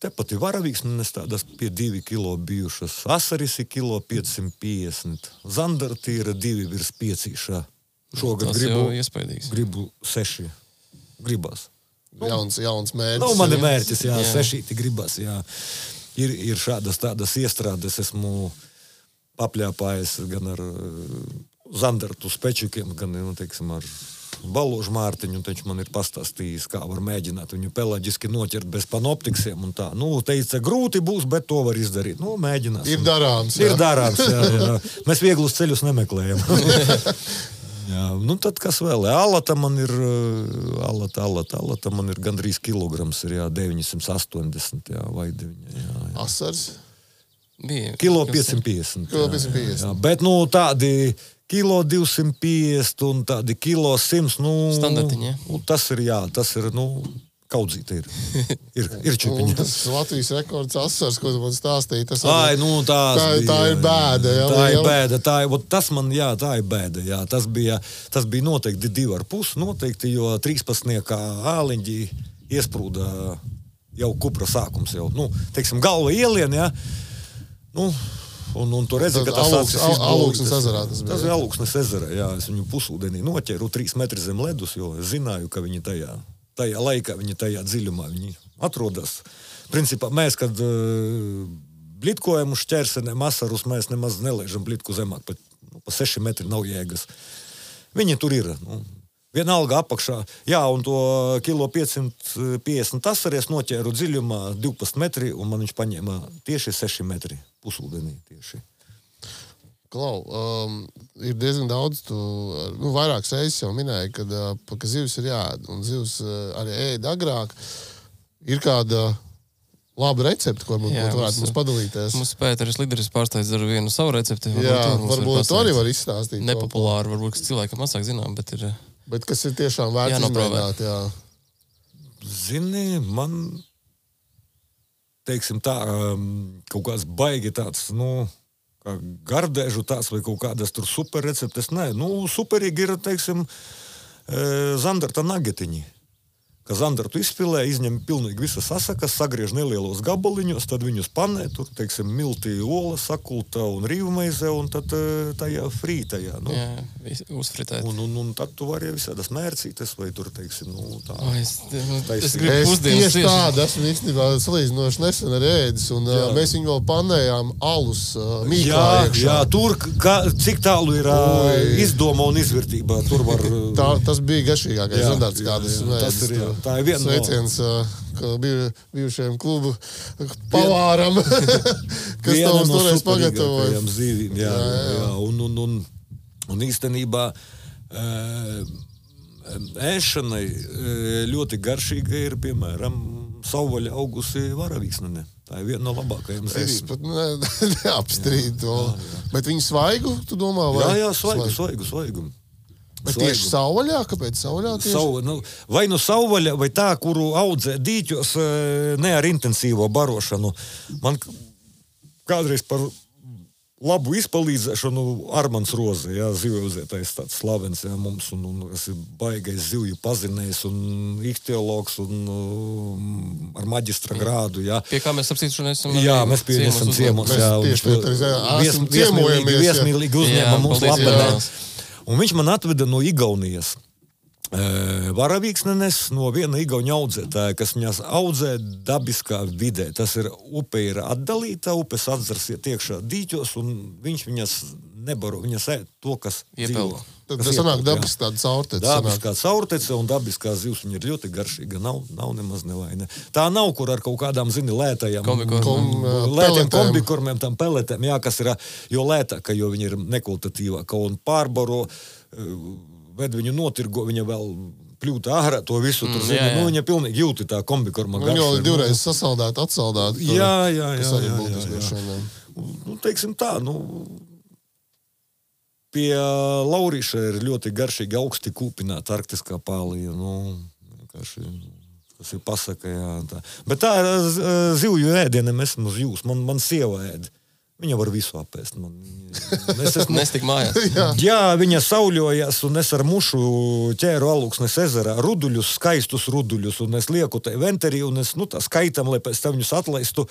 tepat ir varavīgs, es tādas pie 2 kilo bijušas. Asaris ir kilo 550. Zandarti ir 2 virs 5. Šogad gribu 6. Gribās. Jauns mērķis. Man ir mērķis, 6 gribas, jā. Ir šādas tādas iestrādes, esmu papļāpājis gan ar zandartu spečukiem, gan, ar Baložu Mārtiņu, un taču man ir pastāstījis, kā var mēģināt viņu pelaģiski noķert bez panoptiksiem un tā. Teica, grūti būs, bet to var izdarīt. Mēģinās. Ir darāms. Ir darāms, jā. Mēs vieglus ceļus nemeklējam. Jā, tad kas vēl? Alata man ir gandrīz kilograms, ir 980, vai 9. Jā. Asars? Kilo 550. Kilo 550. Jā, bet tādi kilo 250 un tādi kilo 100, standartiņi, tas ir, kaudzīte ir. Ir čupiņa. Tas Latvijas rekords asars, ko tu man stāstīji, tas tā ir bēda. Jā, tā ir bēda. Tā ir bēda. Jā. Tas bija noteikti 2,5 noteikti, jo 13. āliņģi iesprūda jau kupra sākums. Galva ielien, jā. Un tu redzi, ka tas Alūksnes ezerā tas bija. Tas bija Alūksnes ezerā, jā. Es viņu pusūdenī noķeru 3 metri zem ledus, jo es zināju, ka viņi tajā laikā, viņi tajā dziļumā atrodas. Principā mēs, kad blitkojam uz šķērsenēm asarus, mēs nemaz nelaižam blitku zemāk, pa 6 metri nav jēgas. Viņi tur ir. Vienalga apakšā. Jā, un to kilo 550 asaries noķēru dziļumā 12 metri, un man viņš paņēma tieši 6 metri pusūdenī tieši. Klau, ir diezgan daudz, vairākas reizes jau minēja, ka zivs ir jāēd, un zivs arī ēd agrāk. Ir kāda labu recepti, ko varētu mums padalīties. Mums Pēteris Lideris pārsteidz ar vienu savu recepti. Varbūt to arī var izstāstīt. Nepopulāri, varbūt, kas cilvēkam mazāk zinām, bet ir... Bet kas ir tiešām vērts izmēģināt, jā. Zini, man, teiksim tā, kaut kāds baigi tāds, kā gardēžu tāds vai kaut kādas tur super receptes, nē. Superīgi ir, teiksim, zandarta nagetiņi. Ka zandartu izpilē, izņem pilnīgi visas asakas, sagriež nelielos gabaliņos, tad viņus panē, tur, teiksim, milti, ola, sakulta un rīvmaize, un tad tajā frītajā, Jā, uzfritēt. Un tad tu vari visādas mērcītes, vai tur, teiksim, tā. Es gribu pusdienas tieši tādu esmu īstenībā salīdzinoši nesen ar ēdis, un mēs viņu vēl panējām alus mīklā iekšā. Jā, tur, cik tālu ir izdoma un izvērtība, tur var... Tas bija garšīgākais zandarts, kādas ēdis. Tā ir viena sveiciens bijušajam klubu pavāram, kas to mums toreiz pagatavoja. Zīvīm, jā. Un īstenībā ēšanai ļoti garšīga ir, piemēram, savvaļa augusi varavīksnene. Tā ir viena no labākajām zīvīm. Es pat neapstrīdu to. Bet viņu svaigu, tu domā? Jā, svaigu. Bet tieši savvaļā? Kāpēc savvaļā tieši? Vai savvaļa, vai tā, kuru audzē dīķos, ne ar intensīvo barošanu. Man kādreiz par labu izpalīdzēšanu Armands Roze, zivjaudzētais tāds slavens, mums, un kas ir baigais zivju pazinējs, un ihtiologs, un ar maģistra grādu, Pie kā mēs apsītuši esam? Jā, mēs esam ciemos, viesmīlīgi uzņēma mums labdarē. Un viņš man atveda no Igaunijas varavīksnenes, no viena igauņa audzētāja, kas viņas audzē dabiskā vidē. Tas ir, upe ir atdalīta, upes atzars iet iekšā dīķos, un viņš viņas nebaro, viņas ēd to, kas dzīvo. Tad sanāk dabiski tāda caurtece. Dabiskā caurtece un dabiskā zivs, viņa ir ļoti garšīga, nav nemaz nevaina. Tā nav, kur ar kaut kādām, lētajām kombikormiem, tam peletēm, kas ir, jo lētāka, jo viņa ir nekvalitatīvāka, un pārbaro, ved viņu notirgo, viņa vēl pļūta ārā to visu, tur viņa pilnīgi jūti tā kombikorma garša. Viņa jau divreiz sasaldēt, atsaldēt. Jā. Teiksim tā, pie Laurīša ir ļoti garšīgi augsti kūpināta arktiskā pālija, kas ir pasaka, tā. Bet tā ir zivju ēdienam, esmu uz jūs, man sieva ēd. Viņa var visu apēst. Nestik mājās. Jā, viņa sauļojas, un es ar mušu ķēru Alūksnes ezerā ruduļus, skaistus ruduļus, un es lieku tai venterī, un es, tā skaitam, lai pēc tam viņus atlaistu.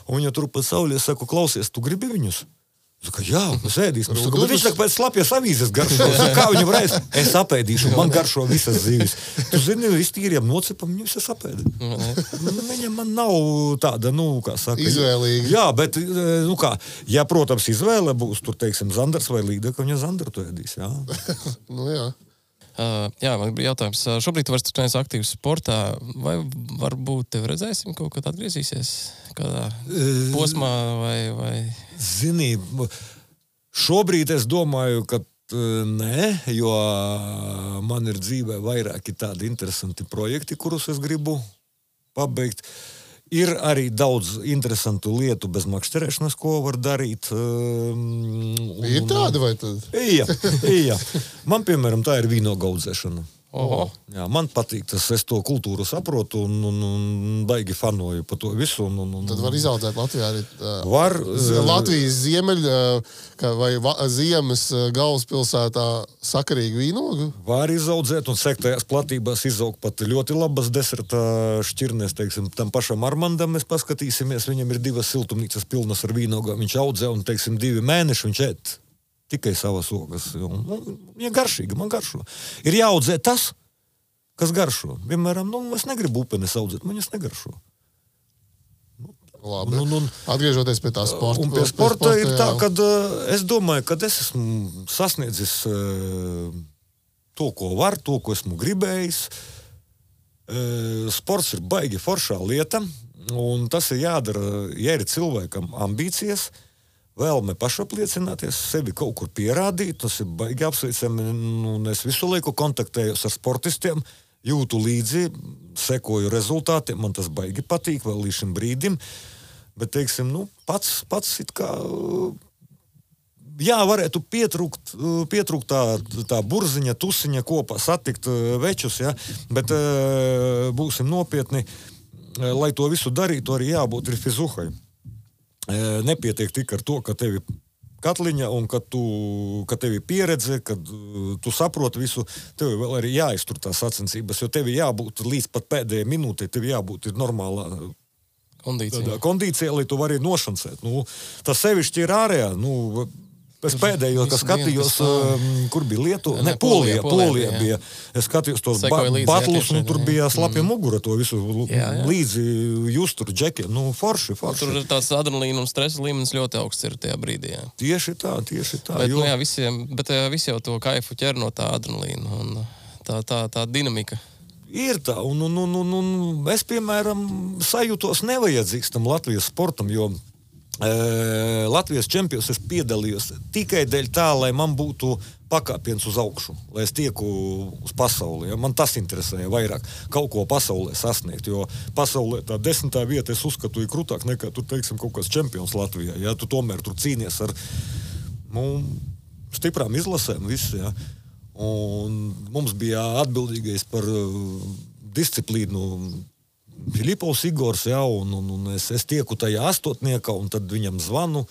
Un viņa turpat sauļie saku, klausies, tu gribi viņus? Saka, jā, mēs ēdīsim. Bet viņš tak pēc slapjas avīzes garšo. Saka, kā viņa varēs? Es apēdīšu, man garšo visas zivis. Tu zini, iztīriem nocipam, viņu visas apēdi. Viņa man nav tāda, kā saka. Izvēlīga. Jā, bet, ja, protams, izvēle būs, tur, teiksim, Zandars vai Līda, ka viņa Zandartu ēdīs, jā. Jā. Jā, man bija jautājums. Šobrīd tu vairs neesi aktīvs sportā, vai varbūt tev redzēsim kaut kad atgriezīsies kādā posmā vai... Zini, šobrīd es domāju, ka nē, jo man ir dzīvē vairāki tādi interesanti projekti, kurus es gribu pabeigt. Ir arī daudz interesantu lietu bez makšķerēšanas, ko var darīt. Ir tāda vai tad? Jā. Man, piemēram, tā ir vīnoga audzēšana. Oho. Jā, man patīk tas, es to kultūru saprotu un baigi fanoju pa to visu. Tad var izaudzēt Latvijā arī var, Latvijas vai ziemas galvaspilsētā sakarīgu vīnogu? Var izaudzēt un sektajās platībās izaug pat ļoti labas deserta šķirnes, teiksim, tam pašam Armandam mēs paskatīsimies, viņam ir 2 siltumnīcas pilnas ar vīnogām, viņš audzē un, teiksim, 2 mēneši viņš ēd. Tikai savas ogas. Viņa garšīga, man garšo. Ir jāaudzē tas, kas garšo. Vienmēram, es negribu upenes audzēt, man viņas negaršo. Labi. Atgriežoties pie tā sporta. Un pie sporta ir tā, ka es domāju, ka es esmu sasniedzis to, ko var, to, ko esmu gribējis. Sports ir baigi foršā lieta, un tas ir jādara, ja ir cilvēkam ambīcijas, vēlme pašapliecināties, sevi kaut kur pierādīt, tas ir baigi apsveicami, un es visu laiku kontaktējos ar sportistiem, jūtu līdzi, sekoju rezultātiem, man tas baigi patīk vēl līdz šim brīdim, bet, teiksim, pats it kā, jā, varētu pietrūkt tā burziņa, tusiņa kopā, satikt večus, ja, bet būsim nopietni, lai to visu darītu, arī jābūt ir fizuhai. Nepietiek tik ar to, ka tevi katliņa un ka tev ir pieredze, kad tu saproti visu, tev vēl arī jāiztur tās sacensības, jo tev jābūt līdz pat pēdējai minūtei, tev jābūt ir normālā kondīcija, lai tu vari nošancēt. Tas sevišķi ir ārējā, es pēdējo, ka skatījos, kur bija Lietuva, Polijā bija. Es skatījos tos batlus, un tur bija slapja mugura, to visu līdzi just tur džekiem. Forši. Tur ir tāds adrenalīna un stresa līmenis ļoti augsts ir tajā brīdī. Jā. Tieši tā. Bet, visi jau to kaifu ķer no tā adrenalīna un tā dinamika. Ir tā, un es, piemēram, sajūtos nevajadzīgs tam Latvijas sportam, jo Latvijas čempions es piedalījos tikai dēļ tā, lai man būtu pakāpiens uz augšu, lai es tieku uz pasauli. Ja? Man tas interesēja vairāk kaut ko pasaulē sasniegt, jo pasaulē tā 10. vieta es uzskatu ir krūtāk nekā tur, teiksim, kaut kāds čempions Latvijā. Ja? Tu tomēr tur cīnies ar stiprām izlasēm visu. Ja? Un mums bija atbildīgais par disciplīnu Filipovs Igors, jā, un es tieku tajā astotniekā, un tad viņam zvanu.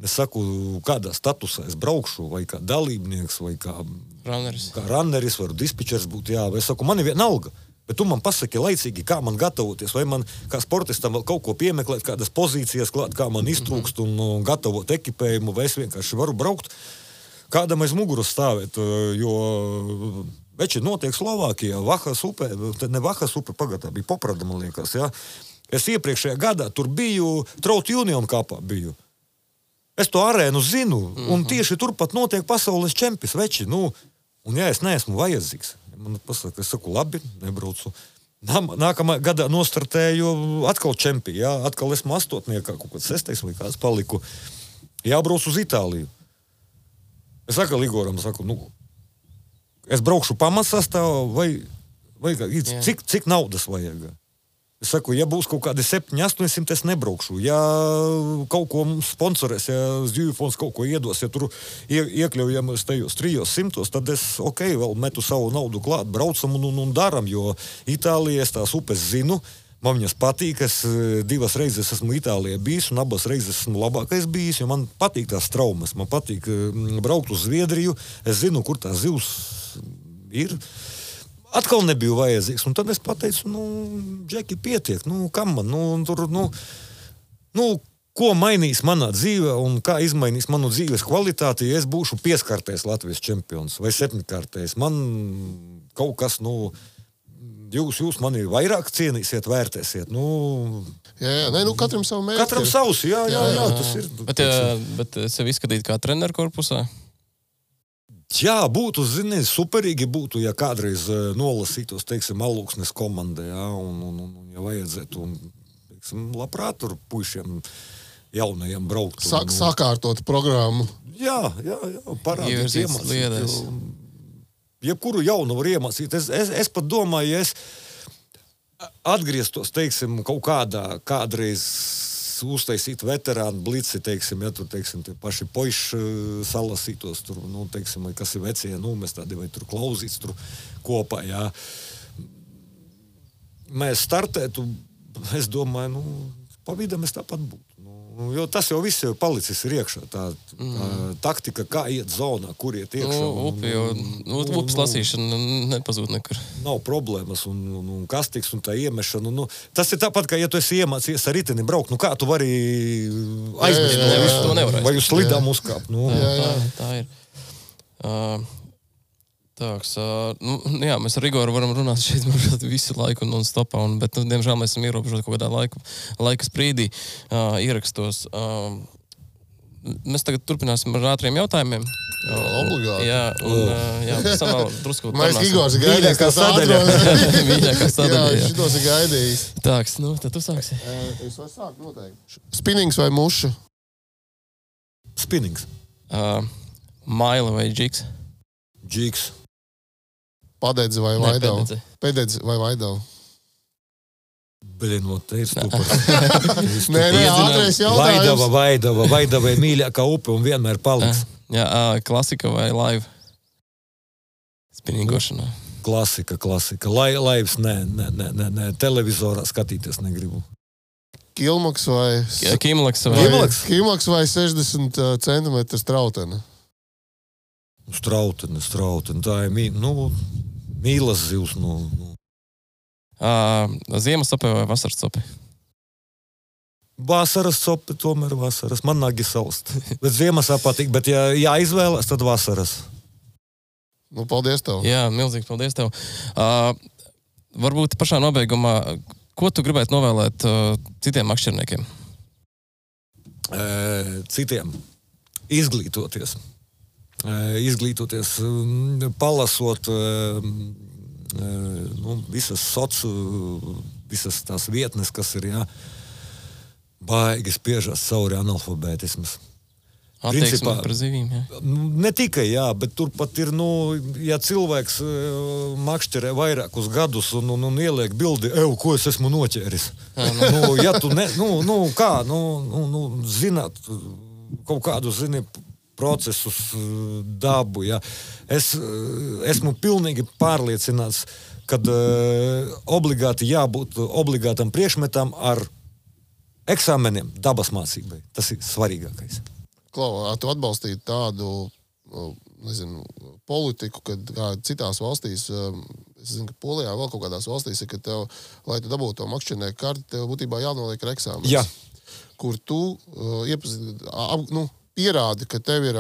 Es saku, kādā statusā es braukšu, vai kā dalībnieks, vai kā runneris, vai dispečers būt, jā. Es saku, man ir vienalga, bet tu man pasaki laicīgi, kā man gatavoties, vai man kā sportistam vēl kaut ko piemeklēt, kādas pozīcijas klāt, kā man iztrūkst un gatavot ekipējumu, vai es vienkārši varu braukt, kādam aiz muguras stāvēt, jo veči notiek Slovākijā, Vahas upē, ne Vahas upe, pagatā bija Poprada, man liekas, jā. Es iepriekšējā gadā tur biju, Trout Union kapā biju. Es to arēnu zinu, un tieši turpat notiek pasaules čempis, veči, un ja es neesmu vajadzīgs, man pasaka, es saku, labi, nebraucu. Nākamā gadā nostartēju atkal čempi, jā, atkal esmu astotniekā, kaut kāds 6. vai kāds paliku, jābrauc uz Itāliju. Es saku Igoram, es braukšu pamatsastāvā vai cik naudas vajag? Es saku, ja būs kaut kādi 700-800, es nebraukšu. Ja kaut ko sponsorēs, ja Zivju fonds kaut ko iedos, ja tur iekļaujamies tajos 300, tad es, vēl metu savu naudu klāt, braucam un daram, jo Itālijā es tās upes zinu, man viņas patīk, es 2 reizes esmu Itālijā bijis, un abas reizes esmu labākais bijis, jo man patīk tās traumas, man patīk braukt uz Zviedriju, es zinu, kur tās zivs ir. Atkal nebiju vajadzīgs, un tad es pateicu, Džeki, pietiek, kam man, tur, ko mainīs manā dzīvē, un kā izmainīs manu dzīves kvalitāti, ja es būšu 5-kārtais Latvijas čempions, vai 7-kārtais. Man kaut kas, jūs mani vairāk cienīsiet, vērtēsiet, katram savu mērķi. Katram savs, jā, tas ir. Bet sevi izskatīt kā treneru korpusā? Jā, būtu, superīgi būtu, ja kādreiz nolasītos, teiksim, Alūksnes komandai, jā, un ja vajadzētu, teiksim, labprāt tur puišiem jaunajiem braukt. Sakārtot programmu. Jā, parādīt, iemācīt. Jebkuru jaunu var iemācīt. Es pat domāju, ja es atgrieztos, teiksim, kaut kādreiz uztaisīt veterānu blici, teiksim, ja tur, teiksim, tie paši poiši salasītos tur, teiksim, vai kas ir vecie, mēs tādi vai tur klauzīts tur kopā, jā. Mēs startētu, es domāju, pa vidam es tāpat būtu. Jo tas jau viss jau palicis ir iekšā, tā taktika, kā iet zonā, kur iet iekšā. Upes lasīšana nepazūd nekur. Nav problēmas, un kastiks, un tā iemešana. Tas ir tāpat, kā ja tu esi iemācījies ar riteni braukt, kā tu vari aizmest to nevarēs. Vai uz slidām uzkāpt. Tā ir. Tāks, mēs ar Igoru varam runāt šeit visu laiku non-stopā, bet, diemžēl, mēs esam ierobežoti kaut kādā laika sprīdī ierakstos. Mēs tagad turpināsim ar ātriem jautājumiem. Obligāti. Jā, samā drusku parunāsim. Mēs Igors ir gaidījis, kā sadaļa. Mīļākā sadaļa, jā. Šitos ir gaidījis. Tāks, tad tu sāksi. Es varu sākt noteikti. Spinnings vai muša? Spinnings. Maila vai džiks? Džiks. Padedzi vai Vaidavu? Pededzi vai Vaidavu? Beļinot, te ir stupars. Nē, ātrais jautājums. Vaidava ir mīļākā upe un vienmēr paliks. Jā, klasika vai live? Spinīgošanā. Klasika. Laivs, nē. Televizorā skatīties negribu. Kilmaks vai... Kimlaks vai 60 centimetru strautene? Strautene. Tā ir mīlas zivs. Ziemas sope vai vasaras sope? Vasaras sope, tomēr vasaras. Man nagi salst. Bet ziemas patīk, bet ja jāizvēlas, tad vasaras. Paldies tev. Jā, milzīgi paldies tev. Varbūt pašā nobeigumā, ko tu gribētu novēlēt citiem makšķerniekiem? Citiem. Izglītoties, palasot visas tās vietnes, kas ir, baigi spiežas cauri analfabētismas. Attieksme par zivīm, jā. Ne tikai, bet turpat ir, ja cilvēks makšķerē vairākus gadus un ieliek bildi, ko es esmu noķēris. Ja tu zināt kaut kādu, procesus, dabu, Es esmu pilnīgi pārliecināts, kad obligāti jābūt obligātam priekšmetam ar eksāmeniem dabas mācībai. Tas ir svarīgākais. Klau, tu atbalstītu tādu, politiku, kad kā citās valstīs, es zinu, ka Polijā vēl kaut kādās valstīs ir, ka tev, lai tu dabūtu to makšķernieku karti, tev būtībā jānoliek ar eksāmenes. Jā. Kur tu pierādi, ka tev ir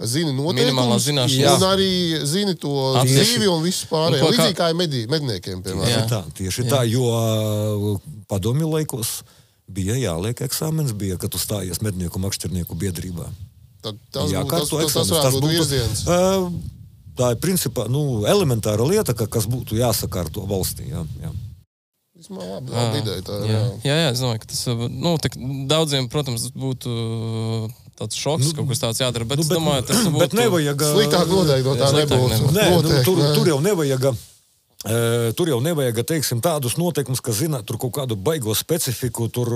zini noteikumus un arī zini to dzīvi un visu pārējo. Līdzīgi kā ir medniekiem, piemēram. Tieši tā, jo padomju laikos bija jāliek eksāmens, bija, kad tu stājies mednieku makšķernieku biedrībā. Tas varētu būt virziens. Tā ir principā elementāra lieta, kas būtu jāsakārto valstī. Jā. Labi ideja tā. Jā, es domāju, ka tas daudziem, protams, būtu tāds šoks, kaut kas tāds jādara, bet es domāju, tas būtu... Bet nevajag... Sliktāk noteikti no tā nebūtu. Tur jau nevajag, teiksim, tādus noteikumus, ka zina, tur kaut kādu baigo specifiku, tur,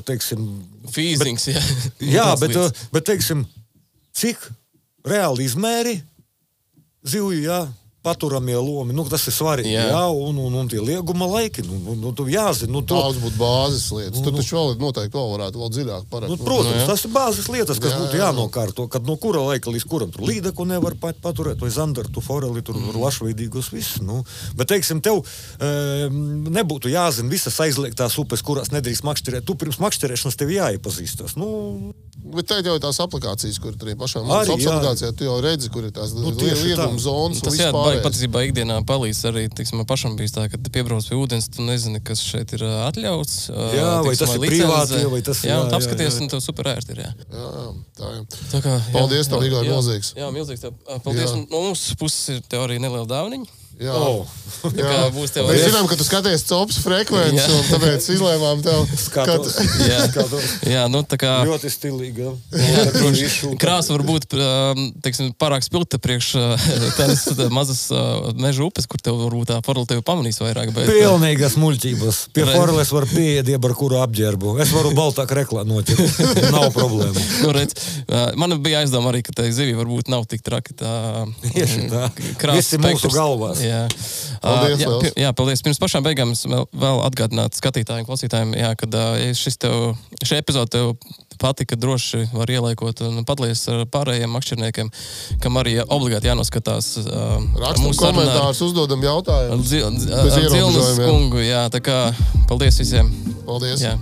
teiksim... Fīzings, jā. Jā, bet, teiksim, cik reāli izmēri zivju, paturamie lomi, tas ir svarīgi, un tie lieguma laiki, tu jāzina. Daudz būtu bāzes lietas. Tur taču noteikti varētu vēl dziļāk parakt. Protams, tas ir bāzes lietas, kas būtu jānokārto, kad no kura laika līdz kuram tur līdeku nevar paturēt, vai zandartu, foreli, tur lašveidīgos viss. Bet, teiksim, tev nebūtu jāzina visas aizliegtās upes, kurās nedrīkst makšķerēt. Tu pirms makšķerēšanas tev jāiepazīstas. Bet te jau ir tās aplikācijas, kur tur ir pašām aplikācijā, tu jau redzi, kur ir tās lieguma zonas un vispār. Patiesībā ikdienā palīdz arī, man pašam bijis tā, kad piebrauc pie ūdens, tu nezini, kas šeit ir atļauts. Vai tas ir privāti, vai tas ir... Jā, un apskaties, un tev super ērti ir, Tā kā, paldies tev, Igor, milzīgs. Jā, milzīgs tev. Paldies, un no mūsu puses ir tev arī neliela dāvaniņa. Jā. Mēs zinām, ka tu skaties cops frekvenci, un tāpēc izlēmām tev... Skatos. Jā, tā kā... Ļoti stilīgi. Krāsa var būt, teiksim, pārāk spilgta priekš tādas mazas meža upes, kur tev varbūt tā forela tevi pamanīs vairāk. Pilnīgas muļķības. Pie foreles var pieiet ar kuru apģērbu. Es varu baltāk reklā noķert. Nav problēmu. Man bija aizdoma arī, ka tai zivī varbūt nav tik traki tā krāsa spektrs. Visi mūsu galvās. Paldies. Pirms pašām beigām es vēl atgādināt skatītājiem, klausītājiem, kad šī epizode tev patika, droši var ielaikot un padalies ar pārējiem makšķerniekiem, kam arī obligāti jānoskatās. Rakstam komentārus, uzdodam jautājumus. Dzilnas kungu, tā kā paldies visiem. Paldies. Jā.